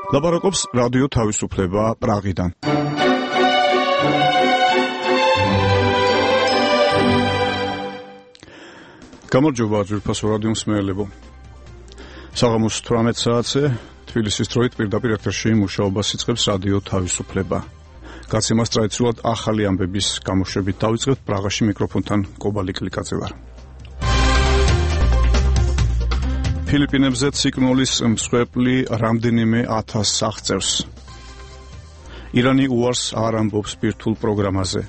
ლაპარაკობს რადიო თავისუფლება პრაღიდან. გამარჯობა ძვირფასო რადიო მსმენელებო. საღამოს 18 საათზე თბილისის დროით პირდაპირ ეთერში მუშაობას იწყებს რადიო თავისუფლება. გაცემას ტრადიციულად ახალი ამბების გამოშვებით დავიწყებთ. პრაღაში მიკროფონთან კობალი კლიკაძე ვარ. ფილიპინებზე ციკლონის მსხვერპლი რამდენიმე 1000 აღწევს. ირანი უარს არ ამბობს ბირთვულ პროგრამაზე.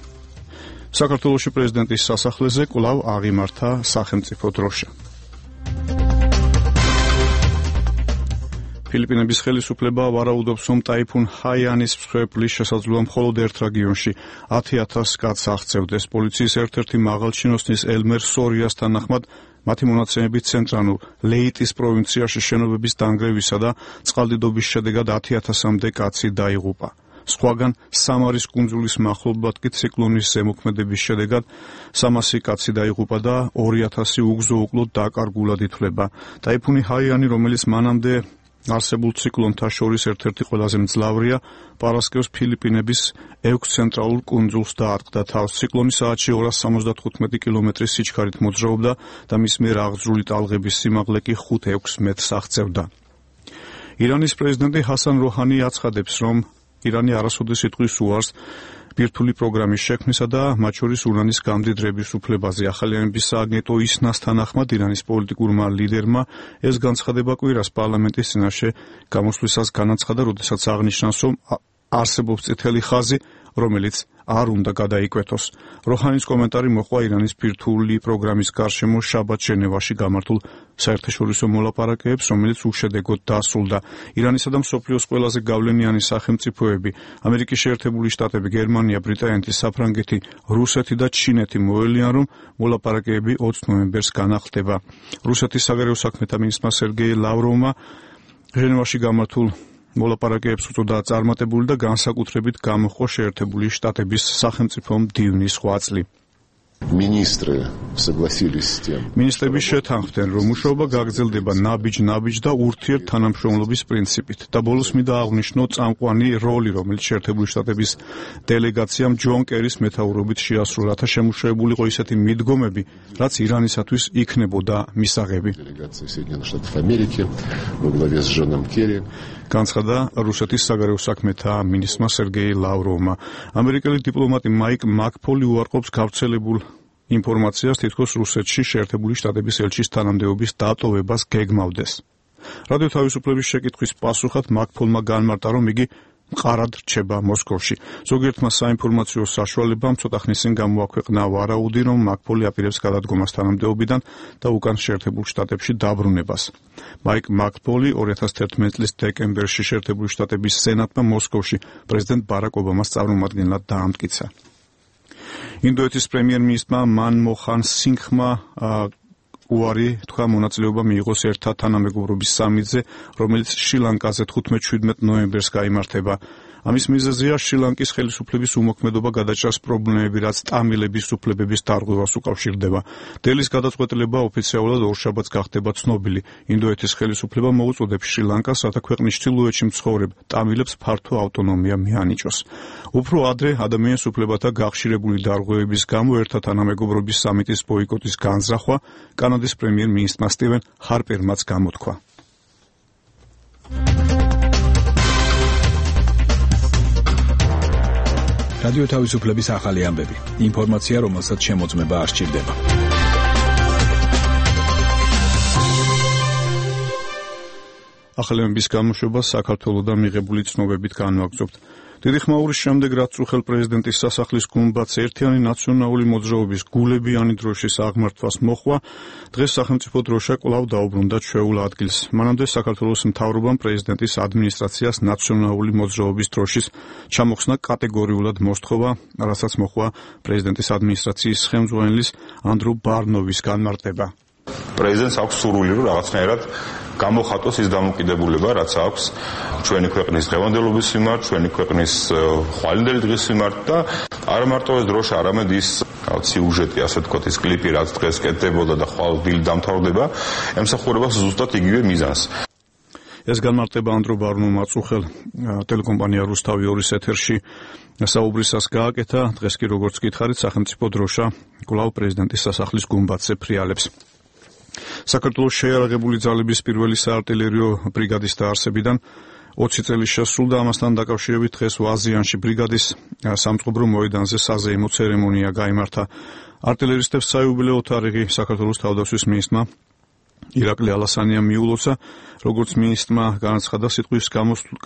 საქართველოში პრეზიდენტის სასახლეზე კვლავ აღიმართა სახელმწიფო დროშა. ფილიპინების ხელისუფლება ვარაუდობს, რომ ტაიფუნ ჰაიანის მსხვერპლის შესაძლოა მხოლოდ ერთ რეგიონში 10,000 კაცს აღწევდეს. პოლიციის ერთ-ერთი მაღალჩინოსნის ელმერ სორიას თანახმად მათი მონაცემებით ცენტრალურ ლეიტის პროვინციაში შენობების დანგრევისა და წყალდიდობის შედეგად 10,000-მდე კაცი დაიღუპა. სხვაგან სამარის კუნძულის მახლობლად კი ციკლონის ზემოქმედების შედეგად 300 კაცი დაიღუპა და 2,000 უგზო-უკლოდ დაკარგულად ითვლება. ტაიფუნი ჰაიანი, რომელიც მანამდე არსებულ ციკლონთა შორის ერთ-ერთი ყველაზე მძლავრია, პარასკევს ფილიპინების 6 ცენტრალურ კუნძულს დაარტყდა თავს. ციკლონი საათში 275 კილომეტრის სიჩქარით მოძრაობდა და მის მიერ აღძრული ტალღების სიმაღლე კი 5-6 მეტრს აღწევდა. ირანის პრეზიდენტი ჰასან როჰანი აცხადებს, რომ ირანი არასოდეს იტყვის უარს ბირთვული პროგრამის შექმნისა და მათ შორის ურანის გამდიდრების უფლებაზე. ახალი ამბების სააგენტო ისნას თანახმად ირანის პოლიტიკურმა ლიდერმა ეს განცხადება კვირას პარლამენტის წინაშე გამოსვლისას განაცხადა, როდესაც აღნიშნავს, რომ არსებობს წითელი ხაზი, რომელიც არ უნდა გადაიკვეთოს. როჰანის კომენტარი მოჰყვა ირანის ბირთვული პროგრამის გარშემო შაბათ ჟენევაში გამართულ საერთაშორისო მოლაპარაკებებს, რომელიც უშედეგოდ დასრულდა. ირანისა და მსოფლიოს ყველაზე გავლენიანი სახელმწიფოები, ამერიკის შეერთებული შტატები, გერმანია, ბრიტანეთი, საფრანგეთი, რუსეთი და ჩინეთი მოელიან, რომ მოლაპარაკებები 20 ნოემბერს განახლდება. რუსეთის საგარეო საქმეთა მინისტრმა სერგეი ლავროვმა ჟენევაში გამართულ მოლაპარაკებებს უწოდა წარმატებული და განსაკუთრებით გამოჰყვა შეერთებული შტატების სახელმწიფო მდივნის ღვაწლი. მინისტრები შეთანხმდნენ, რომ მუშაობა გაგრძელდება ნაბიჯ და ურთიერთთანამშრომლობის პრინციპით და ბოლოს მინდა აღვნიშნო წამყვანი როლი, რომელიც შეერთებული შტატების დელეგაციამ ჯონ კერის მეთაურობით შეასრულა, რათა შემუშავებულიყო ისეთი მიდგომები, რაც ირანისათვის იქნებოდა მისაღები. განცხადა რუსეთის საგარეო საქმეთა მინისტრმა სერგეი ლავროვმა. ამერიკელი დიპლომატი მაიკ მაკფოლი უარყოფს გავრცელებულ ინფორმაციას, თითქოს რუსეთში შეერთებული შტატების ელჩის თანამდებობის დატოვებას გეგმავდეს. რადიო თავისუფლების შეკითხვის პასუხად მაკფოლმა განმარტა, რომ იგი მყარად რჩება მოსკოვში. ზოგიერთმა საინფორმაციო საშუალებამ ცოტა ხნის წინ გამოაქვეყნა ვარაუდი, რომ მაკფოლი აპირებს გადადგომას თანამდებობიდან და უკან შეერთებულ შტატებში დაბრუნებას. მაიკ მაკფოლი 2011 წლის დეკემბერში შეერთებული შტატების სენატმა მოსკოვში პრეზიდენტ ბარაკ ობამას წარმომადგენლად დაამტკიცა. ინდოეთის პრემიერ-მინისტრმა მანმოჰან სინგჰმა უარი თქვა მონაწილეობა მიიღოს ერთა თანამეგობრობის სამიტზე, რომელიც შრი-ლანკაზე 15-17 ნოემბერს გაიმართება. ამის მიზეზია შრი-ლანკის ხელისუფლების უმოქმედობა გადაჭრას პრობლემები, რაც ტამილების უფლებების დარღვევას უკავშირდება. დელის გადაწყვეტილება ოფიციალურად ორშაბათს გახდება ცნობილი. ინდოეთის ხელისუფლება მოუწოდებს შრი-ლანკას, რათა ქვეყნის ჩრდილოეთში მცხოვრებ ტამილებს ფართო ავტონომია მიანიჭოს. უფრო ადრე ადამიანის უფლებათა გახშირებული დარღვევების გამო ერთა თანამეგობრობის სამიტის ბოიკოტის განზრახვა კანადის პრემიერ-მინისტრმა სტივენ ჰარპერმაც გამოთქვა. რადიო თავისუფლების ახალი ამბები. ინფორმაცია, რომელსაც შემოწმება არ სჭირდება. ახალი ამბების გამოშვებას საქართველოდან მიღებული ცნობებით განვაგრძობთ. დიდი ხმაურის შემდეგ, რაც უხელ პრეზიდენტის სასახლის გუმბათს ერთიანი ნაციონალური მოძრაობის გულებიანი დროშის აღმართვას მოჰყვა, დღეს სახელმწიფო დროშა კვლავ დაუბრუნდა ჩვეულ ადგილს. მანამდე საქართველოს მთავრობამ პრეზიდენტის ადმინისტრაციას ნაციონალური მოძრაობის დროშის ჩამოხსნა კატეგორიულად მოსთხოვა, რასაც მოჰყვა პრეზიდენტის ადმინისტრაციის ხელმძღვანელის ანდრუ ბარნოვის განმარტება. პრეზიდენტს აქვს სურვილი, რომ რაღაცნაირად გამოხატოს ის დამოკიდებულება, რაც აქვს ჩვენი ქვეყნის დღევანდელობის მიმართ, ჩვენი ქვეყნის ხვალინდელი დღის მიმართ და არა მარტო ეს დროშა, არამედ ის სიუჟეტი, ასე ვთქვათ, ის კლიპი, რაც დღეს კეთდებოდა და ხვალ დილით დამთავრდება, ემსახურება ზუსტად იგივე მიზანს. ეს განმარტება ანდრო ბარნუმ აწუხელ ტელეკომპანია რუსთავი 2-ის ეთერში საუბრისას გააკეთა. დღეს კი როგორც გითხარით, სახელმწიფო დროშა კვლავ პრეზიდენტის სასახლის გუმბათზე ფრიალებს. საქართველოს შეიარაღებული ძალების პირველი საარტილერიო ბრიგადის დაარსებიდან 20 წელი შესრულდა. ამასთან დაკავშირებით დღეს ვაზიანში ბრიგადის სამწყობრო მოედანზე საზეიმო ცერემონია გაიმართა. არტილერისტებს საიუბილეო თარიღი საქართველოს თავდაცვის მინისტრმა ირაკლი ალასანიამ მიულოცა. როგორც მინისტრმა განაცხადა, სიტყვის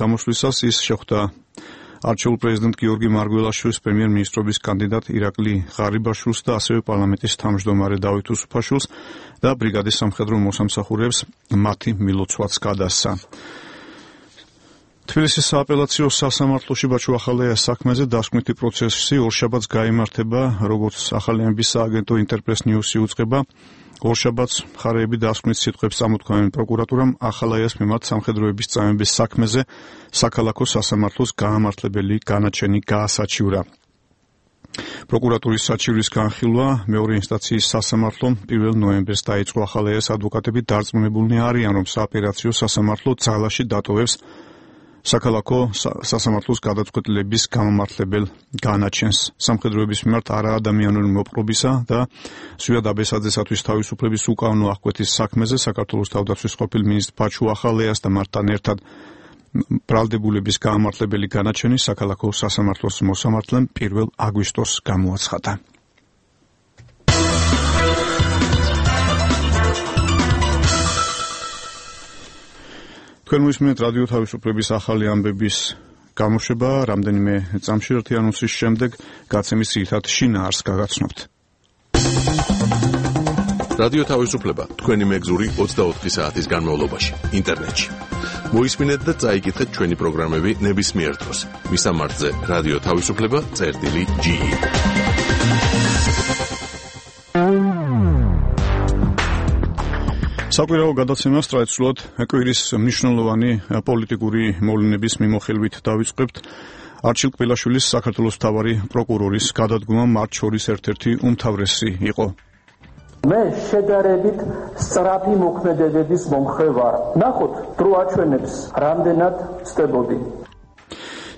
გამოსვლისას ის შეხვდა არჩეულ პრეზიდენტ გიორგი მარგველაშვილის, პრემიერ-მინისტრობის კანდიდატ ირაკლი ღარიბაშვილს და ასევე პარლამენტის თავმჯდომარე დავით უსუფაშვილს და ბრიგადის სამხედრო მოსამსახურეებს მათი მილოცვაც გადასცა. თბილისის სააპელაციო სასამართლოში ბაჩუ ახალაიას საქმეზე დასკვნითი პროცესი ორშაბათს გაიმართება, როგორც ახალიანების სააგენტო ინტერპრეს ნიუსი უწყება. ორშაბათს მხარეები დასკვნით სიტყვებს წამოთქვამენ პროკურატურამ ახალაიას მიმართ სამხედროების წამების საქმეზე საქალაქო სასამართლოს გაამართლებელი განაჩენი გაასაჩივრა. პროკურატურის საჩივრის განხილვა მეორე ინსტანციის სასამართლომ 1 ნოემბერს დაიწყო. ახალაიას ადვოკატები დარწმუნებულნი არიან, რომ საოპერაციო სასამართლო ძალაში დატოვებს საქალაქო სასამართლოს გადაწყვეტილების გამამართლებელ განაჩენს. სამხედროების მიმართ არაადამიანური მოპყრობისა და ზვიად აბესაძესათვის თავისუფლების უკანონო აღკვეთის საქმეზე საქართველოს თავდაცვის ყოფილ მინისტრ ბაჩუ ახალაიას და მათთან ერთად ბრალდებულების გამამართლებელი განაჩენი საქალაქო სასამართლოს მოსამართლემ 1 აგვისტოს გამოაცხადა. თქვენ მოისმენთ რადიო თავისუფლების ახალი ამბების გამოშვება. რამდენიმე წამში ერთი ანონსის შემდეგ გაცემის ძირითად შინაარსს გაგაცნობთ. რადიო თავისუფლება თქვენი მეგზური 24 საათის განმავლობაში ინტერნეტში. მოისმინეთ და წაიკითხეთ ჩვენი პროგრამები ნებისმიერ დროს. მისამართზე რადიო თავისუფლება.ge. საკვირაო გადაცემას ტრადიციულად კვირის მნიშვნელოვანი პოლიტიკური მოვლენების მიმოხილვით დავიწყებთ. არჩილ კბილაშვილის საქართველოს მთავარი პროკურორის გადადგომა მათ შორის ერთ-ერთი უმთავრესი იყო. მე შედარებით სწრაფი მოქმედებების მომხრე ვარ. ნახოთ, დრო აჩვენებს, რამდენად ვწდებოდი.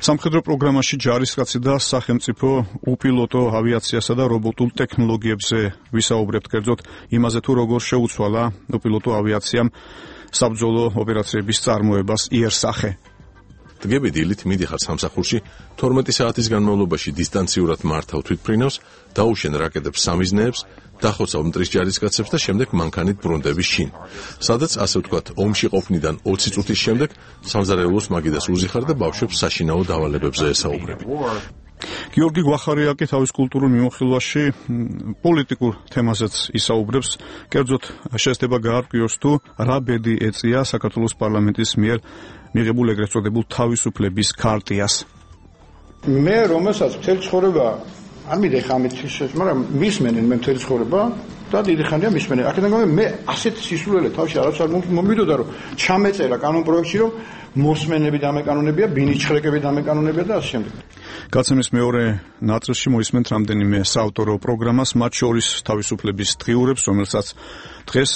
სამხედრო პროგრამაში ჯარისკაცი და სახელმწიფო უპილოტო ავიაციასა და რობოტულ ტექნოლოგიებზე ვისაუბრებთ, კერძოდ იმაზე თუ როგორ შეუცვალა უპილოტო ავიაციამ საბრძოლო ოპერაციების წარმოებას იერსახე. დღები დილით მიდიხარ სამსახურში, 12 საათის განმავლობაში დისტანციურად მართავ თვითმფრინავს, დაუშენ რაკეტებს სამიზნეებს, დახოცავ მტრის ჯარისკაცებს და შემდეგ მანქანით ბრუნდების შინ. სადაც ასე ვთქვათ, ომში ყოფნიდან 20 წუთის შემდეგ სამზარეულოს მაგიდას უზიხარ და ბავშვებს საშინაო დავალებებზე ესაუბრები. გიორგი გვახარიაკი თავის კულტურულ მიმოხილვაში პოლიტიკურ თემაზეც ისაუბრებს, კერძოდ შესდება გაარკვიოს თუ რა ბედი ეწია საქართველოს პარლამენტის მიერ მიღებულ ეგრეთ წოდებულ თავისუფლების ქარტიას. მე რომელსაც მთელი ცხოვრება არ მინდა ხა ამით ისე, მაგრამ მისმენენ მე მთელი ცხოვრება და დიდი ხანია მისმენენ. აქედან გამომდინარე მე ასეთ სისულელე თავში არც არ მომიდოდა, რომ ჩამეწერა კანონპროექტში, რომ მოსმენები დამეკანონებია, ბინიჩხრეკები დამეკანონებია და ასე შემდეგ. გაცემის მეორე ნაწილში მოისმენთ რამდენიმე საავტორო პროგრამას, მათ შორის თავისუფლების დღიურებს, რომელსაც დღეს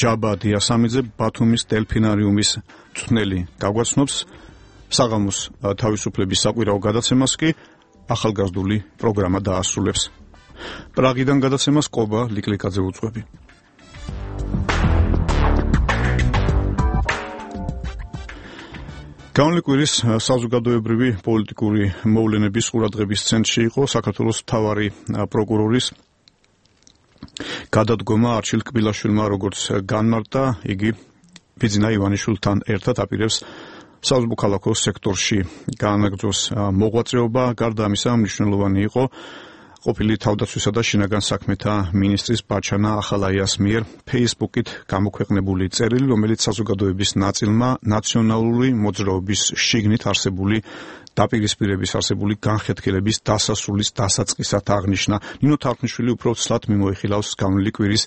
ჯაბა დიასამიძე ბათუმის დელფინარიუმის მწვრთნელი გაგვაცნობს. საღამოს თავისუფლების საკვირაო გადაცემას კი ახალგაზრდული პროგრამა დაასრულებს. პრაღიდან გადაცემას ყობა ლიკლიკაძე უძღვები. განლიკვილის საზოგადოებრივი პოლიტიკური მოვლენების ყურადღების ცენტრში იყო საქართველოს მთავარი პროკურორის გადადგომა არჩილ კბილაშვილმა, როგორც განმარტა, იგი ბიძინა ივანიშვილთან ერთად აპირებს საზღვარგარეთ სექტორში განაგრძოს მოღვაწეობა. გარდა ამისა, მნიშვნელოვანი იყო ყოფილი თავდაცვისა და შინაგან საქმეთა მინისტრის ბაჩანა ახალაიას მიერ Facebook-ით გამოქვეყნებული წერილი, რომელიც საზოგადოების ნაწილმა ნაციონალური მოძრაობის შიგნით არსებული დაპირისპირების არსებული განხეთქილების დასასრულის დასაწყისად აღნიშნა. ნინო თარხნიშვილი უფრო ცლად მიმოიხილავს განვლილი კვირის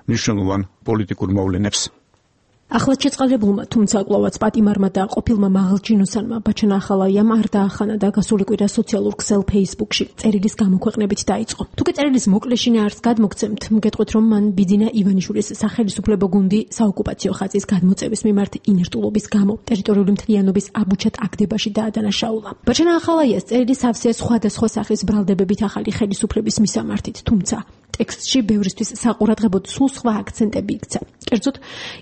მნიშვნელოვან პოლიტიკურ მოვლენებს. ახლად შეწყალებულმა, თუმცა კვლავაც პატიმარმა და ყოფილმა მაღალჩინოსანმა ბაჩანა ახალაიამ არ დაახანა და გასული კვირა სოციალურ ქსელ Facebook-ში წერილის გამოქვეყნებით დაიწყო. თუკი წერილის მოკლეშინე არც გადმოგცემთ, მგეტყვით რომ მან ბიძინა ივანიშვილის სახელმწიფო გუნდი საოკუპაციო ხაზის გადმოწევის მიმართ ინერტულობის გამო ტერიტორიული მთლიანობის აბუჩად აგდებაში დაადანაშაულა. ბაჩანა ახალაიას წერილი სავსეა სხვადასხვა სახის ბრალდებებით ახალი ხელისუფლების მისამართით, თუმცა ტექსტში ბევრისთვის საყურადღებოდ სულ სხვა აქცენტები იქცა. კერძოდ,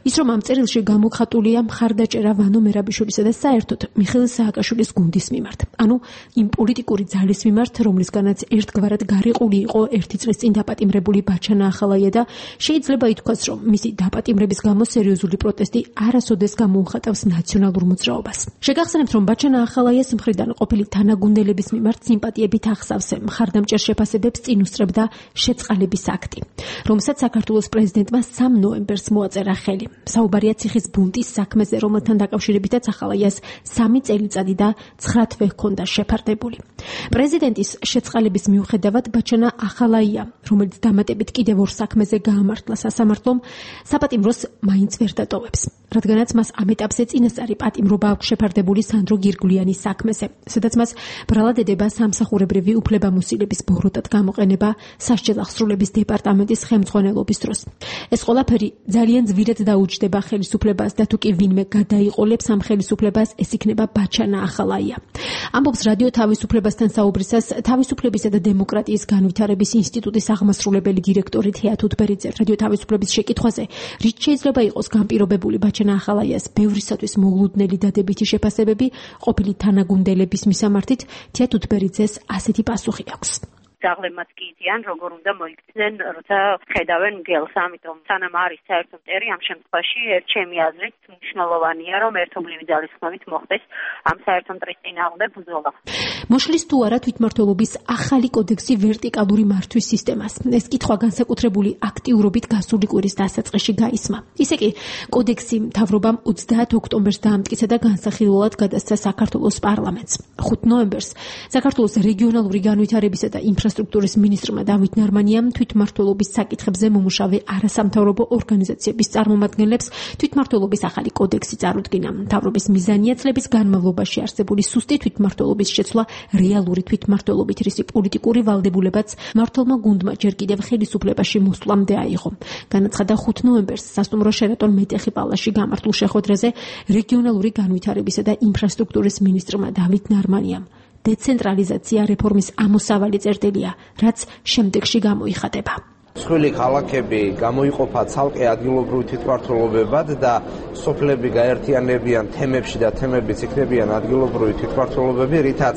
ის რომ ამ წერილში გამოხატულია მხარდაჭერა ვანო მერაბიშვილისა და საერთოდ მიხეილ სააკაშვილის გუნდის მიმართ. ანუ იმ პოლიტიკური ძალის მიმართ, რომლისგანაც ერთგვარად გარიყული იყო ერთი წლის წინ დაპატიმრებული ბაჩანა ახალაია და შეიძლება ითქვას, რომ მისი დაპატიმრების გამო სერიოზული პროტესტი არასოდეს გამოუხატავს ნაციონალურ მოძრაობას. შეგახსენებთ, რომ ბაჩანა ახალაიას მხრიდან ყოფილი თანაგუნდელების მიმართ სიმპათიებით ახსავსე მხარდამჭერ შეფასებებს წინ უსწრებდა შეწყალების აქტი, რომელსაც საქართველოს პრეზიდენტმა 3 ნოემბერს მოაწერა ხელი. საუბარია ციხის ბუნტის საქმეზე, რომელთან დაკავშირებითაც ახალაიას 3 წელიწადი და 9 თვე ჰქონდა შეფარდებული. პრეზიდენტის შეწყალების მიუხედავად ბაჩანა ახალაია, რომელიც დამატებით კიდევ 2 საქმეზე გაამართლა სასამართლომ, საპატიმროს მაინც ვერ დატოვებს. რადგანაც მას ამ ეტაპზე წინასწარი პატიმრობა აქვს შეფარდებული სანდრო გირგვლიანის საქმეზე, სადაც მას ბრალად ედება სამსახურებრივი უფლებამოსილების ბოროტად გამოყენება სასჯელ აღსრულების დეპარტამენტის ხელმძღვანელობის დროს. ეს ყველაფერი ძალიან ძვირად დაუჯდება ხელისუფლებას და თუ კი ვინმე გადაიყოლებს ამ ხელისუფლებას, ეს იქნება ბაჩანა ახალაია. ამბობს რადიო თავისუფლებასთან საუბრისას თავისუფლებისა და დემოკრატიის განვითარების ინსტიტუტის აღმასრულებელი დირექტორი თეა თუთბერიძე. რადიო თავისუფლების შეკითხვაზე, რით შეიძლება იყოს განპირობებული ბაჩანა ახალაიას ბევრისათვის მოულოდნელი დადებითი შეფასებები ყოფილი თანაგუნდელების მისამართით, თეა თუთბერიძეს ასეთი პასუხი აქვს. დაღლებმაც კი იციან, როგორ უნდა მოიქცნენ, როცა ხედავენ მგელს, ამიტომ სანამ არის საერთო მტერი, ამ შემთხვევაში ჩემი აზრით მნიშვნელოვანია, რომ ერთობლივი ძალისხმევით მოხდეს ამ საერთო მტრის წინააღმდეგ ბრძოლა. მოშლის თუ არა თვითმმართველობის ახალი კოდექსი ვერტიკალური მართვის სისტემას. ეს კითხვა განსაკუთრებული აქტიურობით გასული კვირის დასაწყისში გაისმა. ისე კი კოდექსი მთავრობამ 30 ოქტომბერს დაამტკიცა და განსახილველად გადასცა საქართველოს პარლამენტს. 5 ნოემბერს საქართველოს რეგიონალური განვითარებისა და ინფრასტრუქტურის მინისტრმა დავით ნარმანიამ თვითმმართველობის საკითხებზე მომუშავე არასამთავრობო ორგანიზაციების წარმომადგენლებს თვითმმართველობის ახალი კოდექსი წარუდგინა. მთავრობის მიზანია წლების განმავლობაში არსებული სუსტი თვითმმართველობის შეცვლა რეალური თვითმმართველობით, რისი პოლიტიკური ვალდებულებაც მმართველმა გუნდმა ჯერ კიდევ ხელისუფლებაში მოსვლამდე აიღო. განაცხადა 5 ნოემბერს სასტუმრო შერატონ მეტეხი პალასში გამართულ შეხვედრაზე რეგიონალური განვითარებისა და ინფრასტრუქტურის მინისტრმა დავით ნარმანიამ. დეცენტრალიზაცია რეფორმის ამოსავალი წერტილია, რაც შემდეგში გამოიხატება. მსხვილი ქალაქები გამოიყოფა ცალკე ადგილობრივ თვითმმართველობებად და სოფლები გაერთიანებიან თემებში და თემებიც იქნებიან ადგილობრივი თვითმმართველობები, რითაც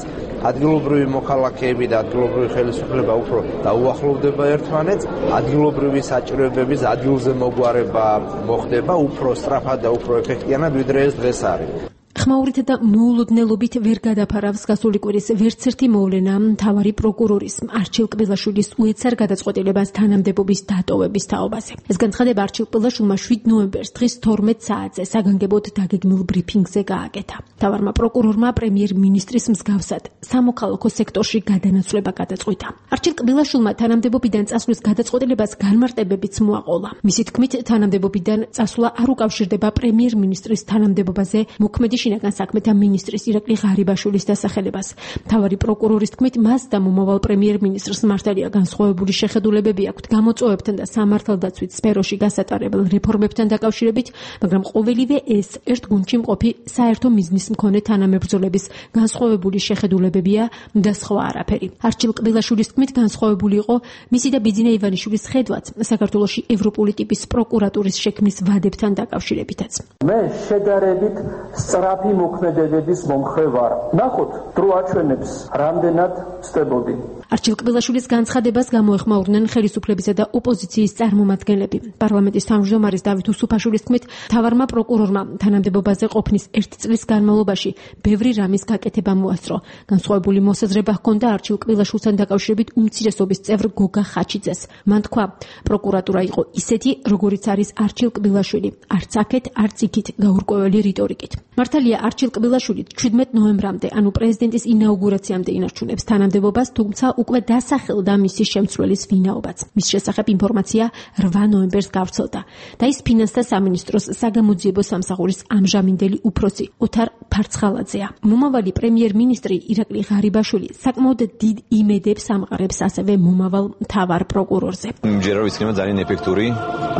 ადგილობრივი მოქალაქეები და ადგილობრივი ხელისუფლება უფრო დაუახლოვდება ერთმანეთს, ადგილობრივი საჭიროებების ადგილზე მოგვარება მოხდება უფრო სწრაფად და უფრო ეფექტიანად, ვიდრე ეს დღეს არის. ხმაურით და მოულოდნელობით ვერ გადაფარავს გასული კვირის ვერცერთი მოვლენა მთავარი პროკურორის არჩილ კბილაშვილის უეცარ გადაწყვეტილებას თანამდებობის დატოვების თაობაზე. ეს განცხადება არჩილ კბილაშვილმა 7 ნოემბერს დღის 12 საათზე საგანგებოდ დაგეგმილ ბრიფინგზე გააკეთა. მთავარმა პროკურორმა პრემიერ-მინისტრის მსგავსად სამოქალაქო სექტორში გადანაცვლება გადაწყვიტა. არჩილ კბილაშვილმა თანამდებობიდან წასვლის გადაწყვეტილებას განმარტებებიც მოაყოლა. მისი თქმით, თანამდებობიდან წასვლა არ უკავშირდება პრემიერ-მინისტრის თანამდებობაზე მოქმედი შინაგან საქმეთა მინისტრის ირაკლი ღარიბაშვილის დასახელებას. მთავარი პროკურორის თქმით, მას და მომავალ პრემიერ-მინისტრს მართალია განსხვავებული შეხედულებები აქვთ გამოწვევებთან და სამართალდაცვით სფეროში გასატარებელ რეფორმებთან დაკავშირებით, მაგრამ ყოველივე ეს ერთ გუნდში მყოფი საერთო მიზნის მქონე თანამებრძოლების განსხვავებული შეხედულებებია და სხვა არაფერი. არჩილ კბილაშვილის თქმით, განსხვავებული იყო მისი და ბიძინა ივანიშვილის ხედვაც საქართველოში ევროპული ტიპის პროკურატურის შექმნის ვადებთან დაკავშირებითაც. მე შედარებით სწრაფი მოქმედებების მომხრე ვარ. ნახოთ, დრო აჩვენებს, რამდენად ვწდებოდი. არჩილ კბილაშვილის განცხადებას გამოეხმაურნენ ხელისუფლებისა და ოპოზიციის წარმომადგენლები. პარლამენტის თავმჯდომარის დავით უსუფაშვილის თქმით, მთავარმა პროკურორმა თანამდებობაზე ყოფნის 1 წლის განმავლობაში ბევრი რამის გაკეთება მოასწრო. განსხვავებული მოსაზრება ჰქონდა არჩილ კბილაშვილთან დაკავშირებით უმცირესობის წევრ გოგა ხაჩიძეს. მან თქვა, პროკურატურა იყო ისეთი, როგორიც არის არჩილ კბილაშვილი, არც აქეთ, არც იქით გაურკვეველი რიტორიკით. მართალია არჩილ კბილაშვილი 17 ნოემბრამდე, ანუ პრეზიდენტის ინაუგურაციამდე ინარჩუნებს თანამდებობას, თუმცა უკვე დასახელდა მისი შემცვლელის ვინაობაც. მის შესახებ ინფორმაცია 8 ნოემბერს გავრცელდა და ის ფინანსთა სამინისტროს საგამოძიებო სამსახურის ამჟამინდელი უფროსი ოთარ ფარცხალაძეა. მომავალი პრემიერ-მინისტრი ირაკლი ღარიბაშვილი საკმაოდ დიდ იმედებს ამყარებს ასევე მომავალ მთავარ პროკურორზე. ჯერა ვიცნება ძალიან ეფექტური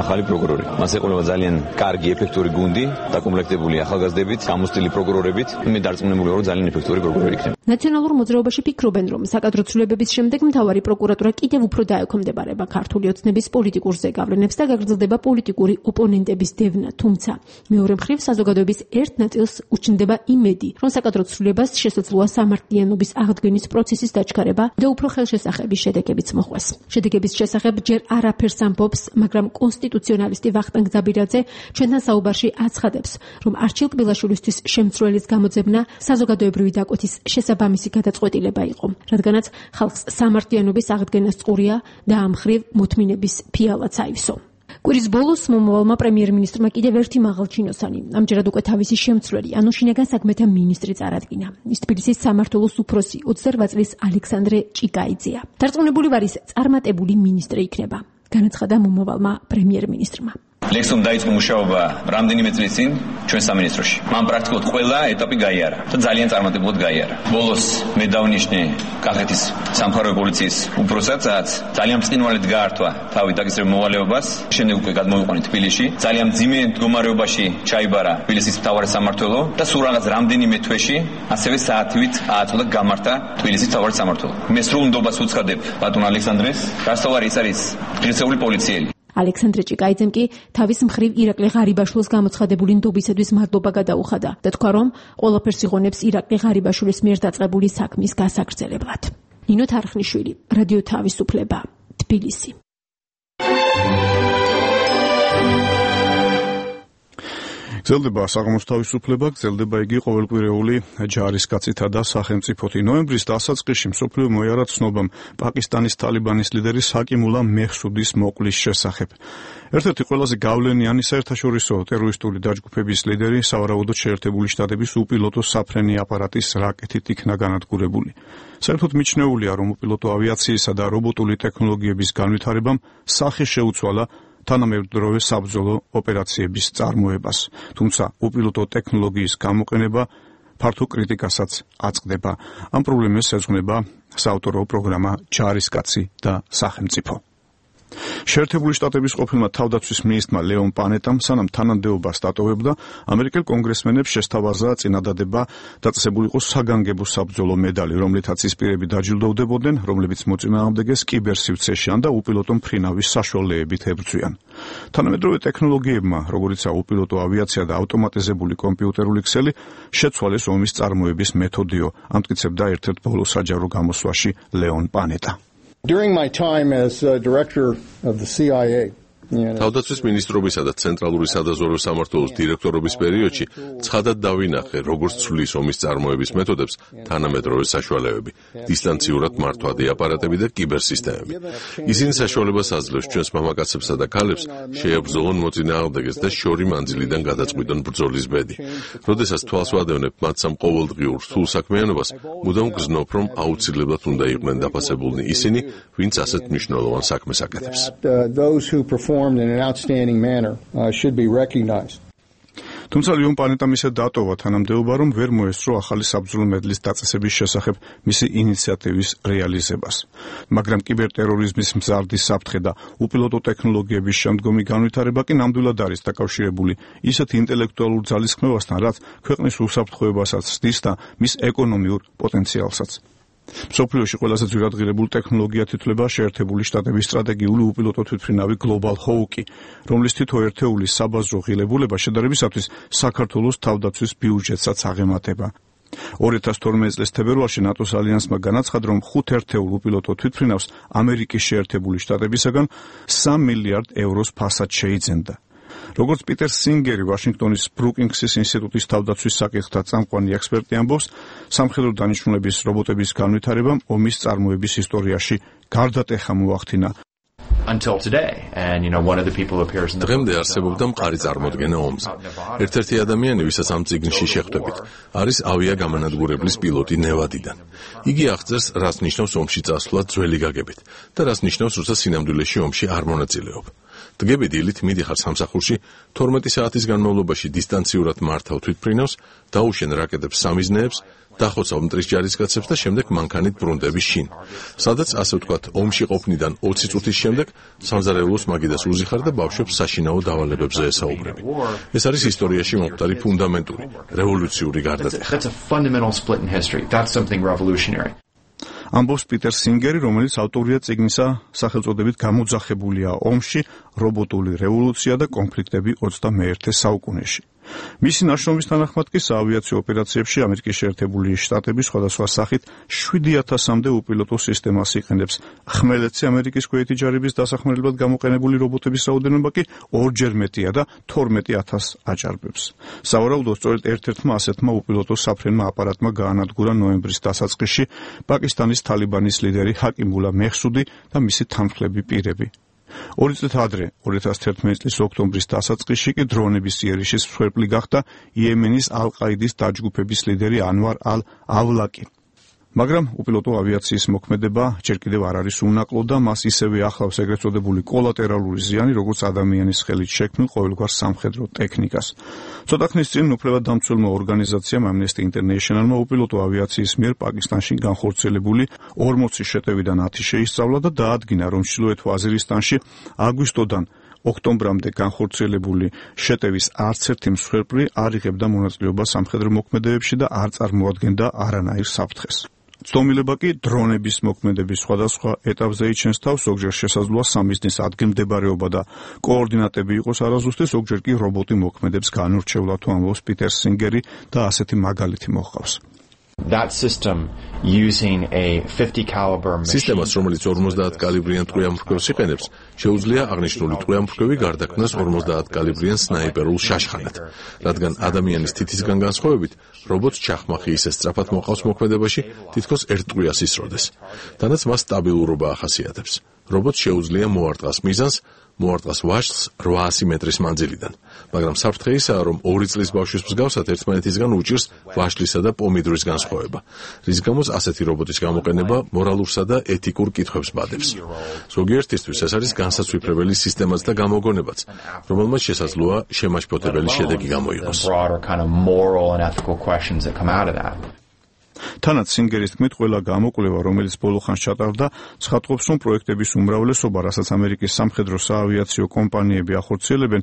ახალი პროკურორი. მას ეყოლება ძალიან კარგი ეფექტური გუნდი, დაკომპლექტებული ახალგაზრდებით, გამოცდილი პროკურორებით. მე დარწმუნებული ვარ, რომ ძალიან ეფექტური პროკურორი იქნება. ნაციონალურ მოძრაობაში ფიქრობენ, რომ საკადრო ცვლილებების შემდეგ მთავარი პროკურატურა კიდევ უფრო დაექვემდებარება ქართული ოცნების პოლიტიკურ ზეგავლენებს და გაგრძელდება პოლიტიკური ოპონენტების დევნა, თუმცა მეორე მხრივ საზოგადოების ერთ ნაწილს უჩნდება იმედი, რომ საკადრო ცვლილებას შესაძლოა სამართლიანობის აღდგენის პროცესის დაჩქარება და უფრო ხელშესახების შედეგებიც მოხვეს. შედეგების შესახებ ჯერ არაფერს ამბობს, მაგრამ კონსტიტუციონალისტი ვახტანგ ძაბირაძე ჩვენთან საუბარში აცხადებს, რომ არჩილ კბილაშვილისთვის შემცვლელის გამოძებნა საზოგადოებრივი დაკვეთის შესაბამისი გადაწყვეტილება იყო, რადგანაც ხალხს სამართლიანობის აღდგენას წყურია და ამ მხრივ მოთმინების ფიალაც აივსო. კვირის ბოლოს მომავალმა პრემიერ-მინისტრმა კიდევ ერთი მაღალჩინოსანი, ამჯერად უკვე თავისი შემცვლელი, ანუ შინაგან საქმეთა მინისტრი წარადგინა. ის თბილისის სამმართველოს უფროსი 28 წლის ალექსანდრე ჭიკაიძეა. დარწმუნებული ვარ, ის წარმატებული მინისტრი იქნება, განაცხადა მომავალმა პრემიერ-მინისტრმა. ლექსომ დაიწყო მუშაობა რამდენიმე წლის წინ ჩვენ სამინისტროში. მან პრაქტიკულად ყველა ეტაპი გაიარა და ძალიან წარმატებულად გაიარა. ბოლოს მე დავნიშნე კახეთის სამთავრობო პოლიციის უფროსაცაც ძალიან ბრწყინვალედ გაართვა თავი დაგისრებ მოვალეობას. შემდეგ უკვე გადმოვიყვანე თბილისში. ძალიან მძიმე მდგომარეობაში ჩაიბარა თბილისის მთავარი სამმართველო და სულ რაღაც რამდენიმე თვეში ასევე საათივით ააწოდა გამართა თბილისის მთავარი სამმართველო. მე სრულ ნდობას უცხადებ ბატონ ალექსანდრეს, გასავარი ის არის ღირსეული პოლიციელი. ალექსანდრე ჭიკაიძემ კი თავის მხრივ ირაკლი ღარიბაშვილს გამოცხადებული ნდობისათვის მადლობა გადაუხადა და თქვა, რომ ყველაფერს იღონებს ირაკლი ღარიბაშვილის მიერ დაწყებული საქმის გასაგრძელებლად. ნინო თარხნიშვილი, რადიო თავისუფლება, თბილისი. გრძელდება საღამოს თავისუფლება, გრძელდება იგი ყოველკვირეული ჯარისკაცითა და სახელმწიფოთი. ნოემბრის დასაწყისში მსოფლიო მოიარა ცნობამ პაკისტანის თალიბანის ლიდერის ჰაკიმულა მეჰსუდის მოკლის შესახებ. ერთ-ერთი ყველაზე გავლენიანი საერთაშორისო ტერორისტული დაჯგუფების ლიდერი სავარაუდოდ შეერთებული შტატების უპილოტო საფრენი აპარატის რაკეტით იქნა განადგურებული. საერთოდ მიჩნეულია, რომ უპილოტო ავიაციისა და რობოტული ტექნოლოგიების განვითარებამ სახე შეუცვალა თანამედროვე საბრძოლო ოპერაციების წარმოებას, თუმცა უპილოტო ტექნოლოგიის გამოყენება ფართო კრიტიკასაც აწყდება. ამ პრობლემას ეძღვნება საავტორო პროგრამა ჯარისკაცი და სახელმწიფო. შეერთებული შტატების ყოფილმა თავდაცვის მინისტრმა ლეონ პანეტამ სანამ თანამდებობას დატოვებდა, ამერიკელ კონგრესმენებს შესთავაზა წინადადება დაწესებული იყო საგანგებო საბრძოლო მედალი, რომლითაც ის პირები დაჯილდოვდებოდნენ, რომლებიც მოწინააღმდეგეს კიბერსივცეში და უპილოტო მფრინავის საშუალებებით ებრძვიან. თანამედროვე ტექნოლოგიებმა, როგორიცაა უპილოტო ავიაცია და ავტომატიზებული კომპიუტერული ქსელი, შეცვალეს ომის წარმოების მეთოდიო, ამტკიცებდა ერთ-ერთ ბოლო საჯარო გამოსვლაში ლეონ პანეტა. During my time as director of the CIA, თავდაცვის მინისტრობისა და ცენტრალური სადაზვერვო სამმართველოს დირექტორობის პერიოდში ცხადად დავინახე, როგორც ცვლის ომის წარმოების მეთოდებს თანამედროვე საშუალებები, დისტანციურად მართვადი აპარატები და კიბერსისტემები. ისინი საშუალებას აძლევს ჩვენს მამაკაცებსა და ქალებს შეებრძოლონ მოწინააღმდეგეს და შორი მანძილიდან გადაწყვიტონ ბრძოლის ბედი. როდესაც თვალს ვადევნებ მათ სამ ყოველდღიურ რთულ საქმიანობას, მუდამ გრძნობ, რომ აუცილებლად უნდა იყვნენ დაფასებულნი ისინი, ვინც ასეთ მნიშვნელოვან საქმეს აკეთებს. in an outstanding manner should be recognized. თუმცა ლეონ პანეტამ ისე დატოვა თანამდებობა, რომ ვერ მოესწრო ახალი საბრძოლო მედლის დაწესების შესახებ მისი ინიციატივის რეალიზებას. მაგრამ კიბერტერორიზმის მზარდი საფრთხე და უპილოტო ტექნოლოგიების შემდგომი განვითარება კი ნამდვილად არის დაკავშირებული ისეთ ინტელექტუალურ ძალისხმევასთან, რაც ქვეყნის უსაფრთხოებასაც ცდის და მის ეკონომიურ პოტენციალსაც. მსოფლიოში ყველაზე ძვირადღირებულ ტექნოლოგიად ითვლება შეერთებული შტატების სტრატეგიული უპილოტო თვითმფრინავი Global Hawk, რომლის თითო ერთეულის საბაზრო ღირებულება შედარებისათვის საქართველოს თავდაცვის ბიუჯეტსაც აღემატება. 2012 წლის თებერვალში ნატოს ალიანსმა განაცხადა, რომ 5 ერთეულ უპილოტო თვითმფრინავს ამერიკის შეერთებული შტატებისაგან 3 მილიარდ ევროს ფასად შეიძენდა. როგორც პიტერ სინგერი, ვაშინგტონის ბრუკინგსის ინსტიტუტის თავდაცვის საკითხთა წამყვანი ექსპერტი ამბობს, სამხედრო დანიშნულების რობოტების განვითარებამ ომის წარმოების ისტორიაში გარდატეხა მოახდინა. until today. And one of the people who appears in the დღემდე არსებობდა მყარი წარმოდგენა ომზე. ერთ-ერთი ადამიანი, ვისაც ამ წიგნში შეხვდებით, არის ავიაგამანადგურებლის პილოტი ნევადიდან. იგი აღწერს, რაც ნიშნავს ომში წასვლა ძველი გაგებით და რაც ნიშნავს, როცა სინამდვილეში ომში არ მონაწილეობ. დგები დილით მიდიხარ სამსახურში, 12 საათის განმავლობაში დისტანციურად მართავ თვითმფრინავს, დაუშენ რაკეტებს სამიზნეებს, დახოცავ მტრის ჯარისკაცებს და შემდეგ მანქანით ბრუნდები შინ. სადაც ასე ვთქვათ, ომში ყოფნიდან 20 წუთის შემდეგ სამზარეულოს მაგიდას უზიხარ და ბავშვებს საშინაო დავალებებზე ესაუბრები. ეს არის ისტორიაში მომხდარი ფუნდამენტური, რევოლუციური გარდატეხა. That's a fundamental split in history. That's something revolutionary. ამბობს პიტერ სინგერი, რომელიც ავტორია წიგნისა სახელწოდებით გამოძახებულია ომში, რობოტული რევოლუცია და კონფლიქტები 21 საუკუნეში. მისი ნაშრომის თანახმად კი საავიაციო ოპერაციებში ამერიკის შეერთებული შტატები სხვადასხვა სახით 7000-მდე უპილოტო სისტემას იყენებს. ხმელეთზე ამერიკის ქვეითი ჯარების დასახმარებლად გამოყენებული რობოტების რაოდენობა კი ორჯერ მეტია და 12000 აჭარბებს. სავარაუდოდ სწორედ ერთ-ერთმა ასეთმა უპილოტო საფრენმა აპარატმა გაანადგურა ნოემბრის დასაწყისში პაკისტანის თალიბანის ლიდერი ჰაკიმულა მეჰსუდი და მისი თანმხლები პირები. 2 წლით ადრე, 2011 წლის ოქტომბრის დასაწყისში კი დრონების იერიშის მსხვერპლი გახდა იემენის ალ-ყაიდის დაჯგუფების ლიდერი ანვარ ალ-ავლაკი. მაგრამ უპილოტო ავიაციის მოქმედება ჯერ კიდევ არ არის უნაკლო და მას ისევე ახლავს ეგრეთ წოდებული კოლატერალური ზიანი, როგორც ადამიანის ხელით შექმნილ ყოველგვარ სამხედრო ტექნიკას. ცოტა ხნის წინ უფლებადამცველმა ორგანიზაციამ Amnesty International-მა უპილოტო ავიაციის მიერ პაკისტანში განხორციელებული 40 შეტევიდან 10 შეისწავლა და დაადგინა, რომ ჩრდილოეთ ვაზირისტანში აგვისტოდან ოქტომბრამდე განხორციელებული შეტევის არც ერთი მსხვერპლი არ იღებდა მონაწილეობას სამხედრო მოქმედებებში და არ წარმოადგენდა არანაირ საფრთხეს. ცდომილება კი დრონების მოქმედების სხვადასხვა ეტაპზე იჩენს თავს, ზოგჯერ შესაძლოა სამიზნის ადგილმდებარეობა და კოორდინატები იყოს არაზუსტი, ზოგჯერ კი რობოტი მოქმედებს განურჩევლად, ამბობს პიტერ სინგერი და ასეთი მაგალითი მოჰყავს. That system using a 50 caliber machine. სისტემას, რომელიც 50 კალიბრიან ტყვიამფრქვევს იყენებს, შეუძლია აღნიშნული ტყვიამფრქვევი გარდაქმნას 50 კალიბრიან სნაიპერულ შაშხანად, რადგან ადამიანის თითისგან განსხვავებით, რობოტს ჩახმახი ისე სწრაფად მოყავს მოქმედებაში, თითქოს ერთ ტყვიას ისროდეს. თანაც მას სტაბილურობა ახასიათებს. რობოტს შეუძლია მოარტყას მიზანს, მოარტყას ვაშლს 800 მეტრის მანძილიდან, მაგრამ საფრთხე ისაა, რომ 2 წლის ბავშვის მსგავსად ერთმანეთისგან უჭირს ვაშლისა და პომიდორის განსხვავება, რის გამოც ასეთი რობოტის გამოყენება მორალურსა და ეთიკურ კითხვებს ბადებს. ზოგიერთისთვის ეს არის განსაცვიფრებელი სისტემაც და გამოგონებაც, რომელმაც შესაძლოა შემაშფოთებელი შედეგი გამოიღოს. თანაც სინგერის თქმით, ყველა გამოკვლევა, რომელიც ბოლო ხანს ჩატარდა, ცხადყოფს, რომ პროექტების უმრავლესობა, რასაც ამერიკის სამხედრო საავიაციო კომპანიები ახორციელებენ,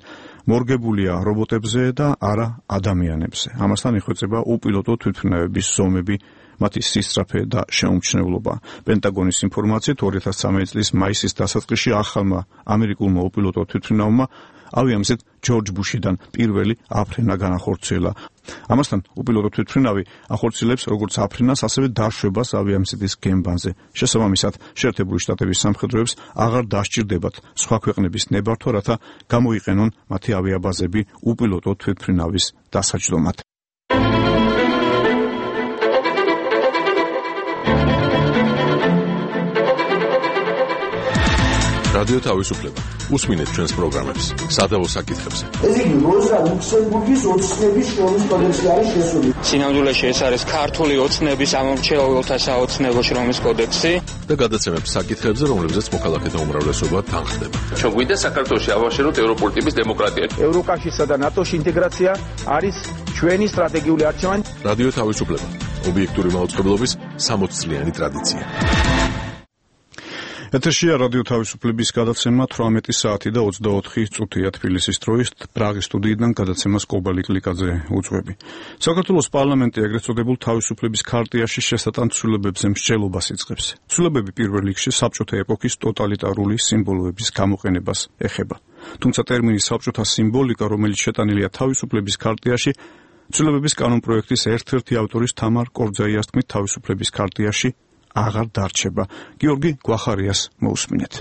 მორგებულია რობოტებზე და არა ადამიანებზე. ამასთან იხვეწება უპილოტო თვითმფრინავების ზომები, მათი სისწრაფე და შეუმჩნევლობა. პენტაგონის ინფორმაციით 2013 წლის მაისის დასაწყისში ახალმა ამერიკულმა უპილოტო თვითმფრინავმა ავიამზეთ ჯორჯ ბუშიდან პირველი აფრენა განახორციელა. ამასთან უპილოტო თვითმფრინავი ახორციელებს როგორც აფრენას, ასევე დაშვებას ავიამზეთის გემბანზე. შესაბამისად, შეერთებული შტატების სამხედროებს აღარ დასჭირდებათ სხვა ქვეყნების ნებართვა, რათა გამოიყენონ მათი ავიაბაზები უპილოტო თვითმფრინავის დასაჯდომად. რადიო თავისუფლება. უსმინეთ ჩვენს პროგრამებს, სადავო საკითხებზე. ეს იგი როზა ლუქსემბურგის ოცნების შრომის კოდექსი არის შესული. სინამდვილეში ეს არის ქართული ოცნების ამომრჩეველთა საოცნებო შრომის კოდექსი და გადაცემებს საკითხებზე, რომლებზეც მოქალაქეთა უმრავლესობა თანხდება. ჩვენ გვინდა საქართველოში ავაშენოთ ევროპული ტიპის დემოკრატია. ევროკავშირსა და ნატოს ინტეგრაცია არის ჩვენი სტრატეგიული არჩევანი. რადიო თავისუფლება. ობიექტური მაუწყებლობის 60 წლიანი ტრადიცია. ეთერშია რადიო თავისუფლების გადაცემა 18 საათი და 24 წუთია თბილისის დროით. პრაღის სტუდიიდან გადაცემას კობალი კლიკაძე უძღვები. საქართველოს პარლამენტი ეგრეთ წოდებულ თავისუფლების ქარტიაში შესატან ცვლილებებზე მსჯელობას იწყებს. ცვლილებები პირველ რიგში საბჭოთა ეპოქის ტოტალიტარული სიმბოლოების გამოყენებას ეხება. თუმცა ტერმინი საბჭოთა სიმბოლიკა, რომელიც შეტანილია თავისუფლების ქარტიაში, ცვლილებების კანონპროექტის ერთ-ერთი ავტორის თამარ კორძაიას თქმით, თავისუფლების ქარტიაში აღარ დარჩება. გიორგი გვახარიას მოусმინეთ.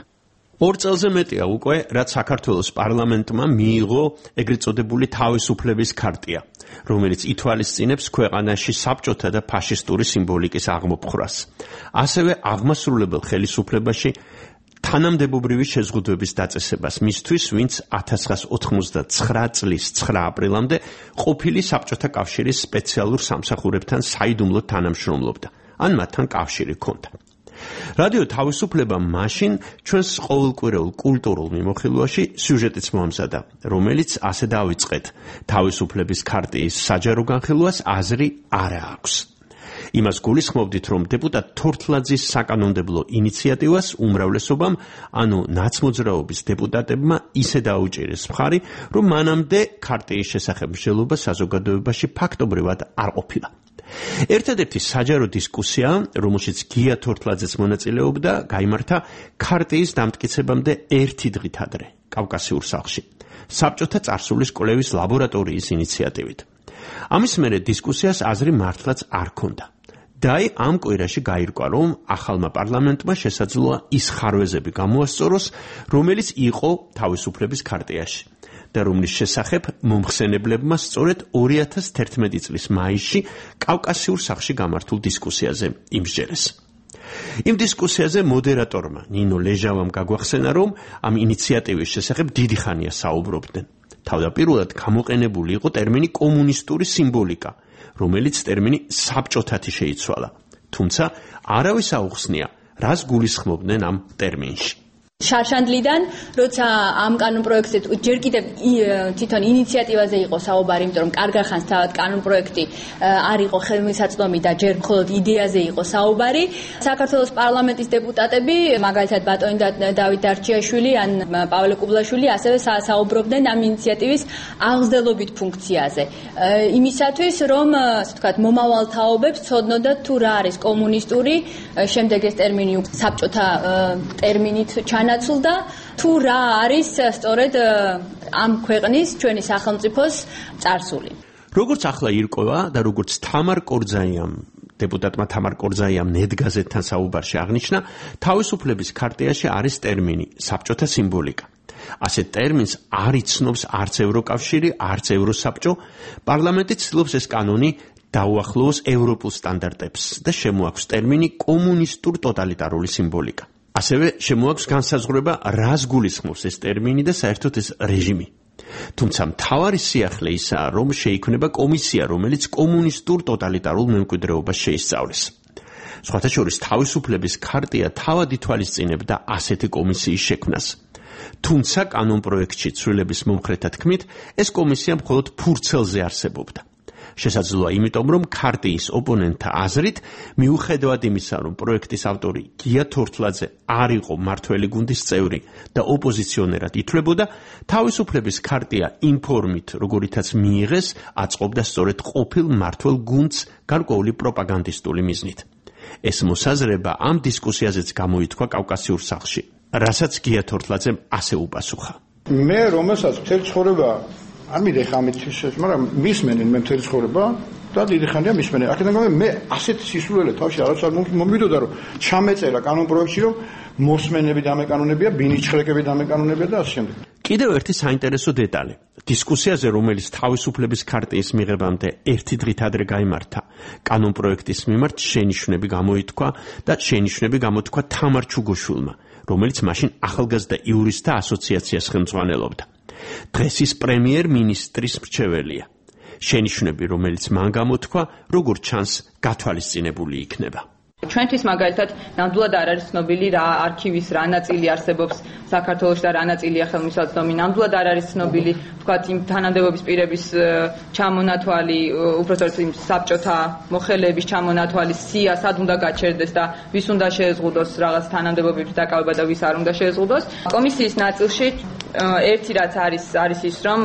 2 წელზე მეტია უკვე, რაც საქართველოს პარლამენტმა მიიღო ეგრეთ წოდებული თავისუფლების ქარტია, რომელიც ითვალისწინებს ქვეყანაში საბჭოთა და ფაშისტური სიმბოლიკის აღმოფხვრას. ასევე აღმასრულებელ ხელისუფლებაში თანამდებობრივი შეზღუდვების დაწესებას მისთვის, ვინც 1989 წლის 9 აპრილამდე ყოფილი საბჭოთა კავშირის სპეციალურ სამსახურებთან საიდუმლოდ თანამშრომლობდა, ან მათთან კავშირი ჰქონდა. რადიო თავისუფლება მაშინ ჩვენს ყოველკვირეულ კულტურულ მიმოხილვაში სიუჟეტიც მოამზადა, რომელიც ასე დავიწყეთ: თავისუფლების ქარტიის საჯარო განხილვას აზრი არა აქვს. იმას გულისხმობდით, რომ დეპუტატ თორთლაძის საკანონმდებლო ინიციატივას უმრავლესობამ, ანუ ნაცმოძრაობის დეპუტატებმა ისე დაუჭირეს მხარი, რომ მანამდე ქარტიის შესახებ მსჯელობა საზოგადოებაში ფაქტობრივად არ ყოფილა. ერთადერთი საჯარო დისკუსია, რომელშიც გია თორთლაძეც მონაწილეობდა, გაიმართა ქარტიის დამტკიცებამდე ერთი დღით ადრე, კავკასიურ სახლში, საბჭოთა წარსულის კვლევის ლაბორატორიის ინიციატივით. ამის მერე დისკუსიას აზრი მართლაც არ ჰქონდა. და ამ კვირაში გაირკვა, რომ ახალმა პარლამენტმა შესაძლოა ის ხარვეზები გამოასწოროს, რომელიც იყო თავისუფლების ქარტიაში და რომლის შესახებ მომხსენებლებმა სწორედ 2011 წლის მაისში კავკასიურ სახლში გამართულ დისკუსიაზე იმსჯერეს. იმ დისკუსიაზე მოდერატორმა ნინო ლეჟავამ გაგვახსენა, რომ ამ ინიციატივის შესახებ დიდი ხანია საუბრობდნენ. თავდაპირველად გამოყენებული იყო ტერმინი კომუნისტური სიმბოლიკა, რომელიც ტერმინი საბჭოთათი შეიცვალა. თუმცა არავის აუხსნია, რას გულისხმობდნენ ამ ტერმინში. შარშანდლიდან, როცა ამ კანონპროექტზე ჯერ კიდევ თვითონ ინიციატივაზე იყო საუბარი, იმიტომ რომ კარგა ხანს თავად კანონპროექტი არ იყო ხელმისაწვდომი და ჯერ მხოლოდ იდეაზე იყო საუბარი. საქართველოს პარლამენტის დეპუტატები, მაგალითად ბატონი დავით დარჩიაშვილი ან პავლე კუბლაშვილი, ასევე საუბრობდნენ ამ ინიციატივის აღზრდელობით ფუნქციაზე. იმისათვის, რომ, ასე ვთქვათ, მომავალ თაობებს ცოდნოდათ თუ რა არის კომუნისტური, შემდეგ ეს ტერმინი საბჭოთა ტერმინით ჩანაცვლდა, თუ რა არის სწორედ ამ ქვეყნის ჩვენი სახელმწიფოს წარსული. როგორც ახლა ირკვევა და როგორც დეპუტატმა თამარ კორძაიამ ნედგაზეთთან საუბარში აღნიშნა, თავისუფლების ქარტიაში არის ტერმინი საბჭოთა სიმბოლიკა. ასეთ ტერმინს არ იცნობს არც ევროკავშირი, არც ევროსაბჭო. პარლამენტი ცდილობს ეს კანონი დაუახლოვოს ევროპულ სტანდარტებს და შემოაქვს ტერმინი კომუნისტურ ტოტალიტარული სიმბოლიკა. ასევე შემოაქვს განსაზღვრება, რას გულისხმობს ეს ტერმინი და საერთოდ ეს რეჟიმი. თუმცა მთავარი სიახლე ისაა, რომ შეიქმნება კომისია, რომელიც კომუნისტურ ტოტალიტარულ მემკვიდრეობას შეისწავლეს. სხვათა შორის თავისუფლების ქარტია თავად ითვალისწინებდა ასეთი კომისიის შექმნას. თუმცა კანონპროექტში ცვლილების მომხრეთა თქმით, ეს კომისია მხოლოდ ფურცელზე არსებობდა. შესაძლოა იმიტომ, რომ ქარტიის ოპონენტთა აზრით, მიუხედავად იმისა, რომ პროექტის ავტორი გია თორთლაძე არ იყო მმართველი გუნდის წევრი და ოპოზიციონერად ითვლებოდა, თავისუფლების ქარტია იმ ფორმით, როგორითაც მიიღეს, აწყობდა სწორედ ყოფილ მმართველ გუნდს გარკვეული პროპაგანდისტული მიზნით. ეს მოსაზრება ამ დისკუსიაზეც გამოითქვა კავკასიურ სახლში, რასაც გია თორთლაძემ ასე უპასუხა. მე რომელსაც მთელი ცხოვრება არ მინდა ხა ამით შეშ, მაგრამ მისმენენ მე მთელი ცხოვრება და დიდი ხანია მისმენენ. აქედან გამომდინარე მე ასეთ სისულელე თავში არც არ მომიდოდა, რომ ჩამეწერა კანონპროექტში, რომ მოსმენები დამეკანონებია, ბინიჩხრეკები დამეკანონებია და ასე შემდეგ. კიდევ ერთი საინტერესო დეტალი. დისკუსიაზე, რომელიც თავისუფლების ქარტიის მიღებამდე ერთი დღით ადრე გაიმართა, კანონპროექტის მიმართ შენიშვნები გამოითქვა და შენიშვნები გამოთქვა თამარ ჩუგოშვილმა, რომელიც მაშინ ახალგაზრდა იურისტთა ასოციაციას ხელმძღვანელობდა. დღეს ის პრემიერ-მინისტრის მრჩეველია. შენიშვნები, რომელიც მან გამოთქვა, როგორც ჩანს, გათვალისწინებული იქნება. ჩვენთვის მაგალითად ნამდვილად არ არის ცნობილი რა არქივის რა ნაწილი არსებობს საქართველოში და რა ნაწილია ხელმისაწვდომი. ნამდვილად არ არის ცნობილი, ვთქვათ, იმ თანამდებობის პირების ჩამონათვალი, უბრალოდ იმ საბჭოთა მოხელეების ჩამონათვალი, სია სად უნდა გაჩერდეს და ვის უნდა შეეზღუდოს რაღაც თანამდებობების დაკავება და ვის არ უნდა შეეზღუდოს. კომისიის ნაწილში ერთი რაც არის ის, რომ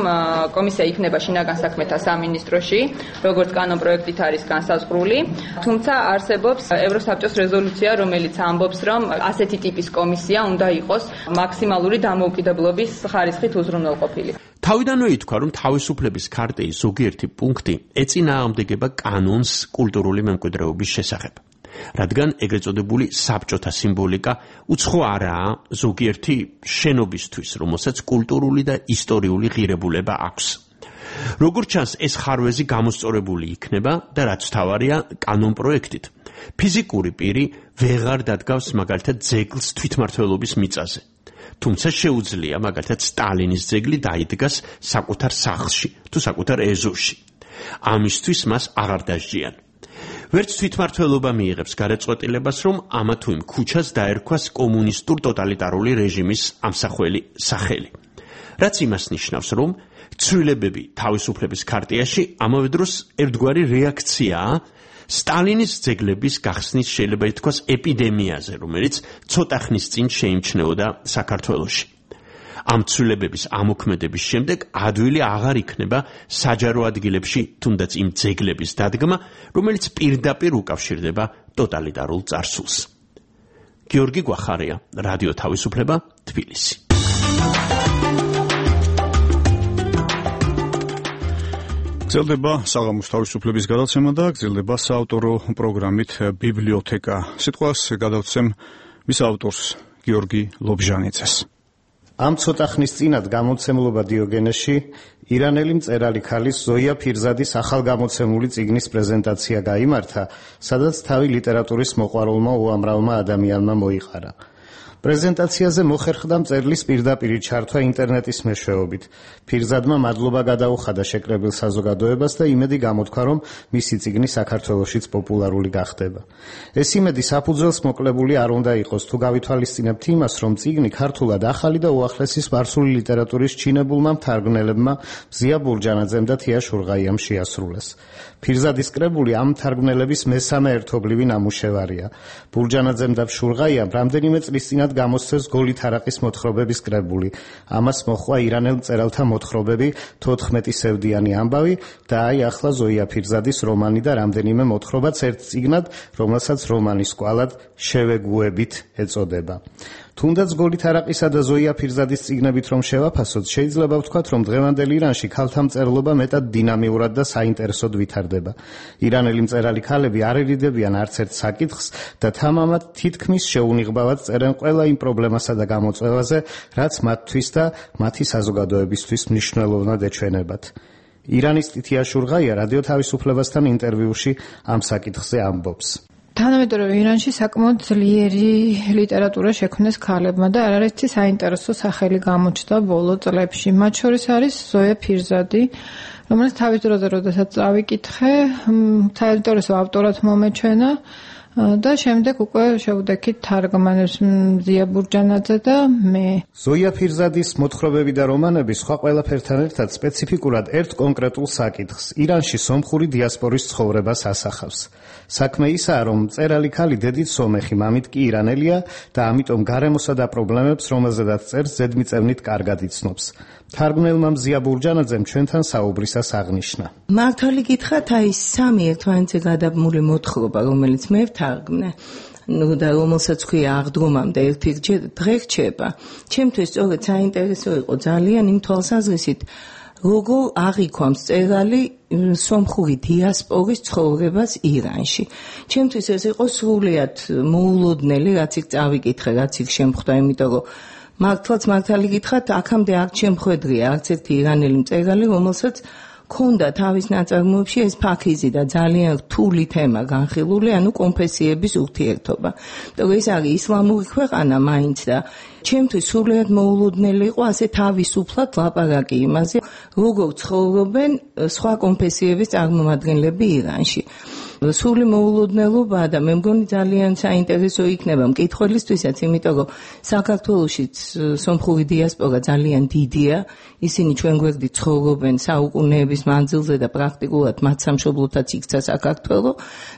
კომისია იქნება შინაგან საქმეთა სამინისტროში, როგორც კანონპროექტით არის განსაზღვრული, თუმცა არსებობს ევროსაბჭოს რეზოლუცია, რომელიც ამბობს, რომ ასეთი ტიპის კომისია უნდა იყოს მაქსიმალური დამოუკიდებლობის ხარისხით უზრუნველყოფილი. თავიდანვე ითქვა, რომ თავისუფლების ქარტიის ზოგიერთი პუნქტი ეწინააღმდეგება კანონს კულტურული მემკვიდრეობის შესახებ. რადგან ეგრეთ წოდებული საბჭოთა სიმბოლიკა უცხო არაა ზოგიერთი შენობისთვის, რომელსაც კულტურული და ისტორიული ღირებულება აქვს. როგორც ჩანს, ეს ხარვეზი გამოსწორებული იქნება და რაც თავარია კანონპროექტით. ფიზიკური პირი ვეღარ დადგავს მაგალითად ძეგლს თვითმმართველობის მიწაზე. თუმცა შეუძლია მაგალითად სტალინის ძეგლი დაიდგას საკუთარ სახლში თუ საკუთარ ეზოში. ამისთვის მას აღარ დასჯიან. ვერც თვითმმართველობა მიიღებს გარეწყვეტილებას, რომ ამა თუ იმ ქუჩას დაერქვას კომუნისტურ ტოტალიტარული რეჟიმის ამსახველი სახელი. რაც იმას ნიშნავს, რომ ცვლილებები თავისუფლების ქარტიაში ამავე დროს ერთგვარი რეაქციაა სტალინის ძეგლების გახსნის შეიძლება ითქვას ეპიდემიაზე, რომელიც ცოტა ხნის წინ შეიმჩნეოდა საქართველოში. ამ ცვლილებების ამოქმედების შემდეგ ადვილი აღარ იქნება საჯარო ადგილებში თუნდაც იმ ძეგლების დადგმა, რომელიც პირდაპირ უკავშირდება ტოტალიტარულ წარსულს. გიორგი გვახარია, რადიო თავისუფლება, თბილისი. გრძელდება საღამოს თავისუფლების გადაცემა და გრძელდება საავტორო პროგრამით ბიბლიოთეკა. სიტყვას გადავცემ მის ავტორს გიორგი ლობჟანიძეს. ამ ცოტა ხნის წინათ გამოცემულობა დიოგენეში ირანელი მწერალი ქალის ზოია ფირზადის ახალგამოცემული წიგნის პრეზენტაცია გაიმართა, სადაც თავი ლიტერატურის მოყვარულმა უამრავმა ადამიანმა მოიყარა. პრეზენტაციაზე მოხერხდა მწერლის პირდაპირი ჩართვა ინტერნეტის მეშვეობით. ფირზადმა მადლობა გადაუხადა შეკრებილ საზოგადოებას და იმედი გამოთქვა, რომ მისი წიგნი საქართველოშიც პოპულარული გახდება. ეს იმედი საფუძველს მოკლებული არ უნდა იყოს, თუ გავითვალისწინებთ იმას, რომ წიგნი ქართულად ახალი და უახლესი სპარსული ლიტერატურის ჩინებულმა მთარგმნელებმა მზია ბურჯანაძემ და თია შურღაიამ შეასრულეს. ფირზადის კრებული ამ მთარგმნელების მესამე ერთობლივი ნამუშევარია. ბურჯანაძემ და შურღაიამ რამდენიმე წლის წინათ გამოსცეს გოლი თარაყის მოთხრობების კრებული. ამას მოჰყვა ირანელ მწერალთა მოთხრობები 14 სევდიანი ამბავი და აი ახლა ზოია ფირზადის რომანი და რამდენიმე მოთხრობაც ერთ წიგნად, რომელსაც რომანის კვალად შევეგუებით ეწოდება. თუნდაც გოლი თარაყისა და ზოია ფირზადის წიგნებით რომ შევაფასოთ, შეიძლება ვთქვათ, რომ დღევანდელ ირანში ქალთა მწერლობა მეტად დინამიურად და საინტერესოდ ვითარდება. ირანელი მწერალი ქალები არ ერიდებიან არც ერთ საკითხს და თამამად თითქმის შეუნიღბავად წერენ ყველა იმ პრობლემასა და გამოწვევაზე, რაც მათთვის და მათი საზოგადოებისთვის მნიშვნელოვნად ეჩვენებათ. ირანისტი თია შურღაია რადიო თავისუფლებასთან ინტერვიუში ამ საკითხზე ამბობს. თანამედროვე ირანში საკმაოდ ძლიერი ლიტერატურა შექმნეს ქალებმა და არაერთი საინტერესო სახელი გამოჩნდა ბოლო წლებში. მათ შორის არის ზოია ფირზადი, რომელიც თავის დროზე, როდესაც წავიკითხე, საინტერესო ავტორად მომეჩვენა და შემდეგ უკვე შევდექით თარგმანებს მზია ბურჯანაძე და მე. ზოია ფირზადის მოთხრობები და რომანები სხვა ყველაფერთან ერთად სპეციფიკურად ერთ კონკრეტულ საკითხს, ირანში სომხური დიასპორის ცხოვრებას ასახავს. საქმე ისაა, რომ მწერალი ქალი დედით სომეხი, მამით კი ირანელია და ამიტომ გარემოსა და პრობლემებს, რომელზედაც წერს, ზედმიწევნით კარგად იცნობს. თარგმნელმა მზია ბურჯანაძემ ჩვენთან საუბრისას აღნიშნა. მართალი გითხრათ, აი სამი ერთმანეთზე გადაბმული მოთხრობა, რომელიც მე ვთარგმნე, და რომელსაც ქვია აღდგომამდე ერთი დღე რჩება. ჩემთვის სწორედ საინტერესო იყო ძალიან იმ თვალსაზრისით, როგორ აღიქვამს მწერალი სომხური დიასპორის ცხოვრებას ირანში. ჩემთვის ეს იყო სრულიად მოულოდნელი, რაც იქ წავიკითხე, რაც იქ შემხვდა, იმიტომ რომ მართალი გითხრათ, აქამდე არ შემხვედრია არც ერთი ირანელი მწერალი, რომელსაც ქონდა თავის ნაწარმოებში ეს ფაქიზი და ძალიან რთული თემა განხილული, ანუ კონფესიების ურთიერთობა. ეს არის ისლამური ქვეყანა მაინც და ჩემთვის სრულიად მოულოდნელი იყო ასე თავისუფლად ლაპარაკი იმაზე, როგორ ცხოვრობენ სხვა კონფესიების წარმომადგენლები ირანში. სული მოულოდნელობაა და მე მგონი ძალიან საინტერესო იქნება მკითხველისთვისაც, იმიტომ რომ საქართველოშიც სომხური დიასპორა ძალიან დიდია, ისინი ჩვენ გვერდით ცხოვრობენ საუკუნეების მანძილზე და პრაქტიკულად მათ სამშობლოთაც იქცა საქართველო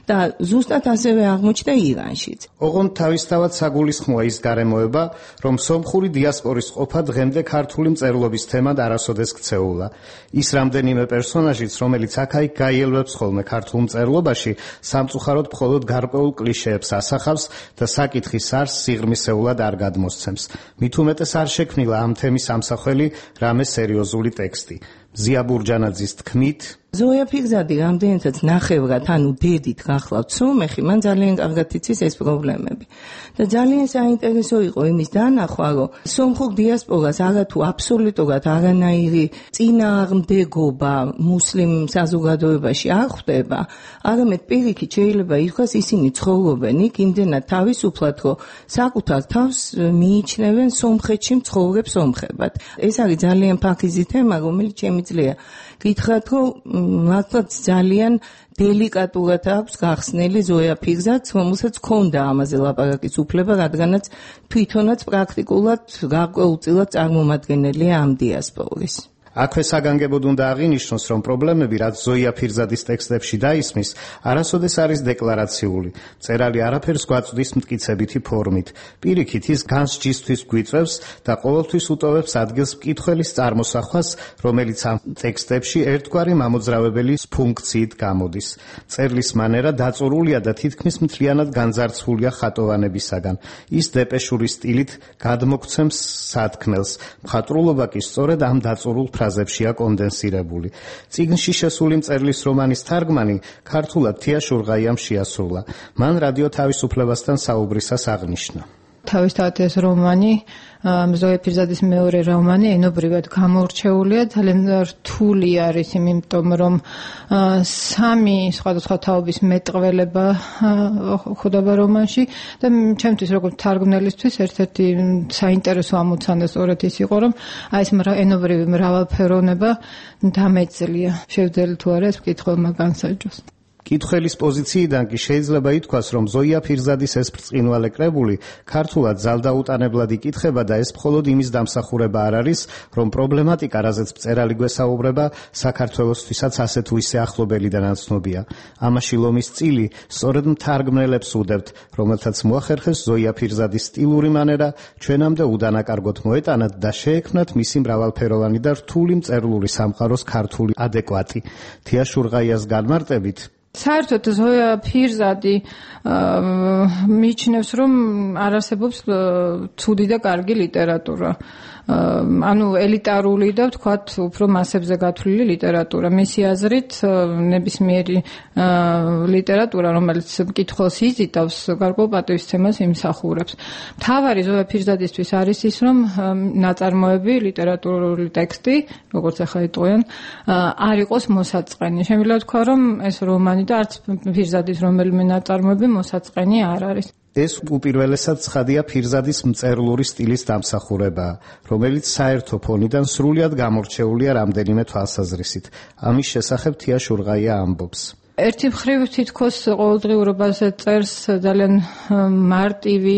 და ზუსტად ასევე აღმოჩნდა ირანშიც. ოღონდ თავისთავად საგულისხმოა ის გარემოება, რომ სომხური დიასპორის ყოფა დღემდე ქართული მწერლობის თემად არასოდეს ქცეულა. ის რამდენიმე პერსონაჟიც, რომელიც აქ-იქ გაიელვებს ხოლმე ქართულ მწერლობაში, სამწუხაროდ მხოლოდ გარკვეულ კლიშეებს ასახავს და საკითხის არსს სიღრმისეულად არ გადმოსცემს. მით უმეტეს არ შექმნილა ამ თემის ამსახველი რამე სერიოზული ტექსტი. ზია ბურჯანაძის თქმით ზოია ფიგზადი რამდენადაც ნახევრად ანუ დედით გახლავთ სომეხი, მან ძალიან კარგად იცის ეს პრობლემები. და ძალიან საინტერესო იყო იმის დანახვა, რომ სომხურ დიასპორას არათუ აბსოლუტურად არანაირი წინააღმდეგობა მუსლიმ საზოგადოებაში არ ხვდება, არამედ პირიქით შეიძლება ითქვას ისინი ცხოვრობენ იქ იმდენად თავისუფლად, რომ საკუთარ თავს მიიჩნევენ სომხეთში მცხოვრებ სომხებად. ეს არის ძალიან ფაქიზი თემა, რომელიც შემიძლია გითხრათ, რომ მართლაც ძალიან დელიკატურად აქვს გახსნილი ზოია ფიგზაც, რომელსაც ჰქონდა ამაზე ლაპარაკის უფლება, რადგანაც თვითონაც პრაქტიკულად გარკვეულწილად წარმომადგენელია ამ დიასპორის. აქვე საგანგებოდ უნდა აღინიშნოს, რომ პრობლემები, რაც ზოია ფირზადის ტექსტებში დაისმის, არასოდეს არის დეკლარაციული. მწერალი არაფერს გვაწვდის მტკიცებითი ფორმით. პირიქით, ის განსჯისთვის გვიწევს და ყოველთვის უტოვებს ადგილს მკითხველის წარმოსახვას, რომელიც ამ ტექსტებში ერთგვარი მამოძრავებელი ფუნქციით გამოდის. წერლის მანერა დაწურულია და თითქმის მთლიანად განძარცვულია ხატოვანებისაგან. ის დეპეშური სტილით გადმოგვცემს სათქმელს. მხატვრულობა კი სწორედ ამ დაწურულ ფრაზებშია კონდენსირებული. წიგნში შესული მწერლის რომანის თარგმანი ქართულად თია შურღაიამ შეასრულა. მან რადიო თავისუფლებასთან საუბრისას აღნიშნა. თავისთავად ეს რომანი, ზოია ფირზადის მეორე რომანი ენობრივად გამორჩეულია, ძალიან რთული არის, იმიტომ რომ სამი სხვადასხვა თაობის მეტყველება ხდება რომანში და ჩემთვის როგორც თარგმნელისთვის ერთ-ერთი საინტერესო ამოცანა სწორედ ის იყო, რომ აი ეს ენობრივი მრავალფეროვნება დამეძლია. შევძელი თუ არა ეს მკითხველმა განსაჯოს. კითხველის პოზიციიდან კი შეიძლება ითქვას, რომ ზოია ფირზადის ეს ბრწყინვალე კრებული ქართულად ძალდაუტანებლად იკითხება და ეს მხოლოდ იმის დამსახურება არ არის, რომ პრობლემატიკა, რაზეც მწერალი გვესაუბრება, საქართველოსთვისაც ასე თუ ისე ახლობელი და ნაცნობია. ამაში ლომის წილი სწორედ მთარგმნელებს უდევთ, რომელთაც მოახერხეს ზოია ფირზადის სტილური მანერა ჩვენამდე უდანაკარგოდ მოეტანათ და შეექმნათ მისი მრავალფეროვანი და რთული მწერლური სამყაროს ქართული ადეკვატი. თია შურღაიას განმარტებით საერთოდ ზოია ფირზადი მიიჩნევს, რომ არ არსებობს ცუდი და კარგი ლიტერატურა. ანუ ელიტარული და ვთქვათ უფრო მასებზე გათვლილი ლიტერატურა. მისი აზრით ნებისმიერი ლიტერატურა, რომელიც მკითხველს იზიდავს, გარკვეულ პატივისცემას იმსახურებს. მთავარი ზოია ფირზადისთვის არის ის, რომ ნაწარმოები, ლიტერატურული ტექსტი, როგორც ახლა იტყვიან, არ იყოს მოსაწყენი. შემიძლია ვთქვა, რომ ეს რომანი და არც ფირზადის რომელიმე ნაწარმოები მოსაწყენი არ არის. ეს უპირველესად ცხადია ფირზადის მწერლური სტილის დამსახურებაა, რომელიც საერთო ფონიდან სრულიად გამორჩეულია რამდენიმე თვალსაზრისით. ამის შესახებ თია შურღაია ამბობს. ერთი მხრივ თითქოს ყოველდღიურობაზე წერს ძალიან მარტივი,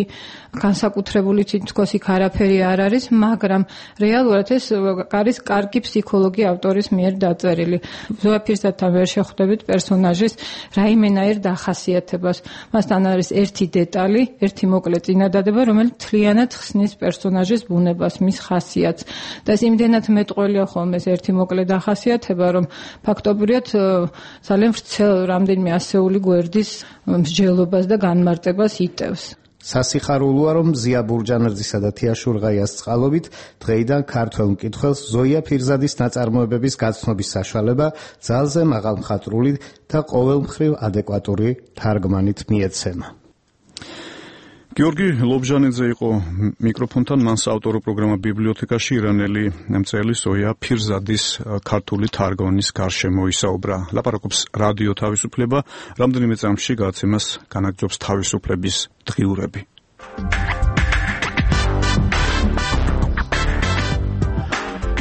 განსაკუთრებული თითქოს იქ არაფერი არ არის, მაგრამ რეალურად ეს არის კარგი ფსიქოლოგი ავტორის მიერ დაწერილი. ზოია ფირზადთან ვერ შეხვდებით პერსონაჟის რაიმენაირ დახასიათებას. მასთან არის ერთი დეტალი, ერთი მოკლე წინადადება, რომელიც მთლიანად ხსნის პერსონაჟის ბუნებას, მის ხასიათს. და ეს იმდენად მეტყველია ხოლმე ეს ერთი მოკლე დახასიათება, რომ ფაქტობრივად ძალიან ვრცელ რამდენიმე ასეული გვერდის მსჯელობას და განმარტებას იტევს. სასიხარულოა, რომ ზია ბურჯანაძისა და თია შურღაიას წყალობით დღეიდან ქართველ მკითხველს ზოია ფირზადის ნაწარმოებების გაცნობის საშუალება ძალზე მაღალმხატვრული და ყოველმხრივ ადეკვატური თარგმანით მიეცემა. გიორგი ლობჟანიძე იყო მიკროფონთან, მან საავტორო პროგრამა ბიბლიოთეკაში ირანელი მწერლის ზოია ფირზადის ქართული თარგმანის გარშემო ისაუბრა. ლაპარაკობს რადიო თავისუფლება, რამდენიმე წამში გადაცემას განაგრძობს თავისუფლების დღიურები.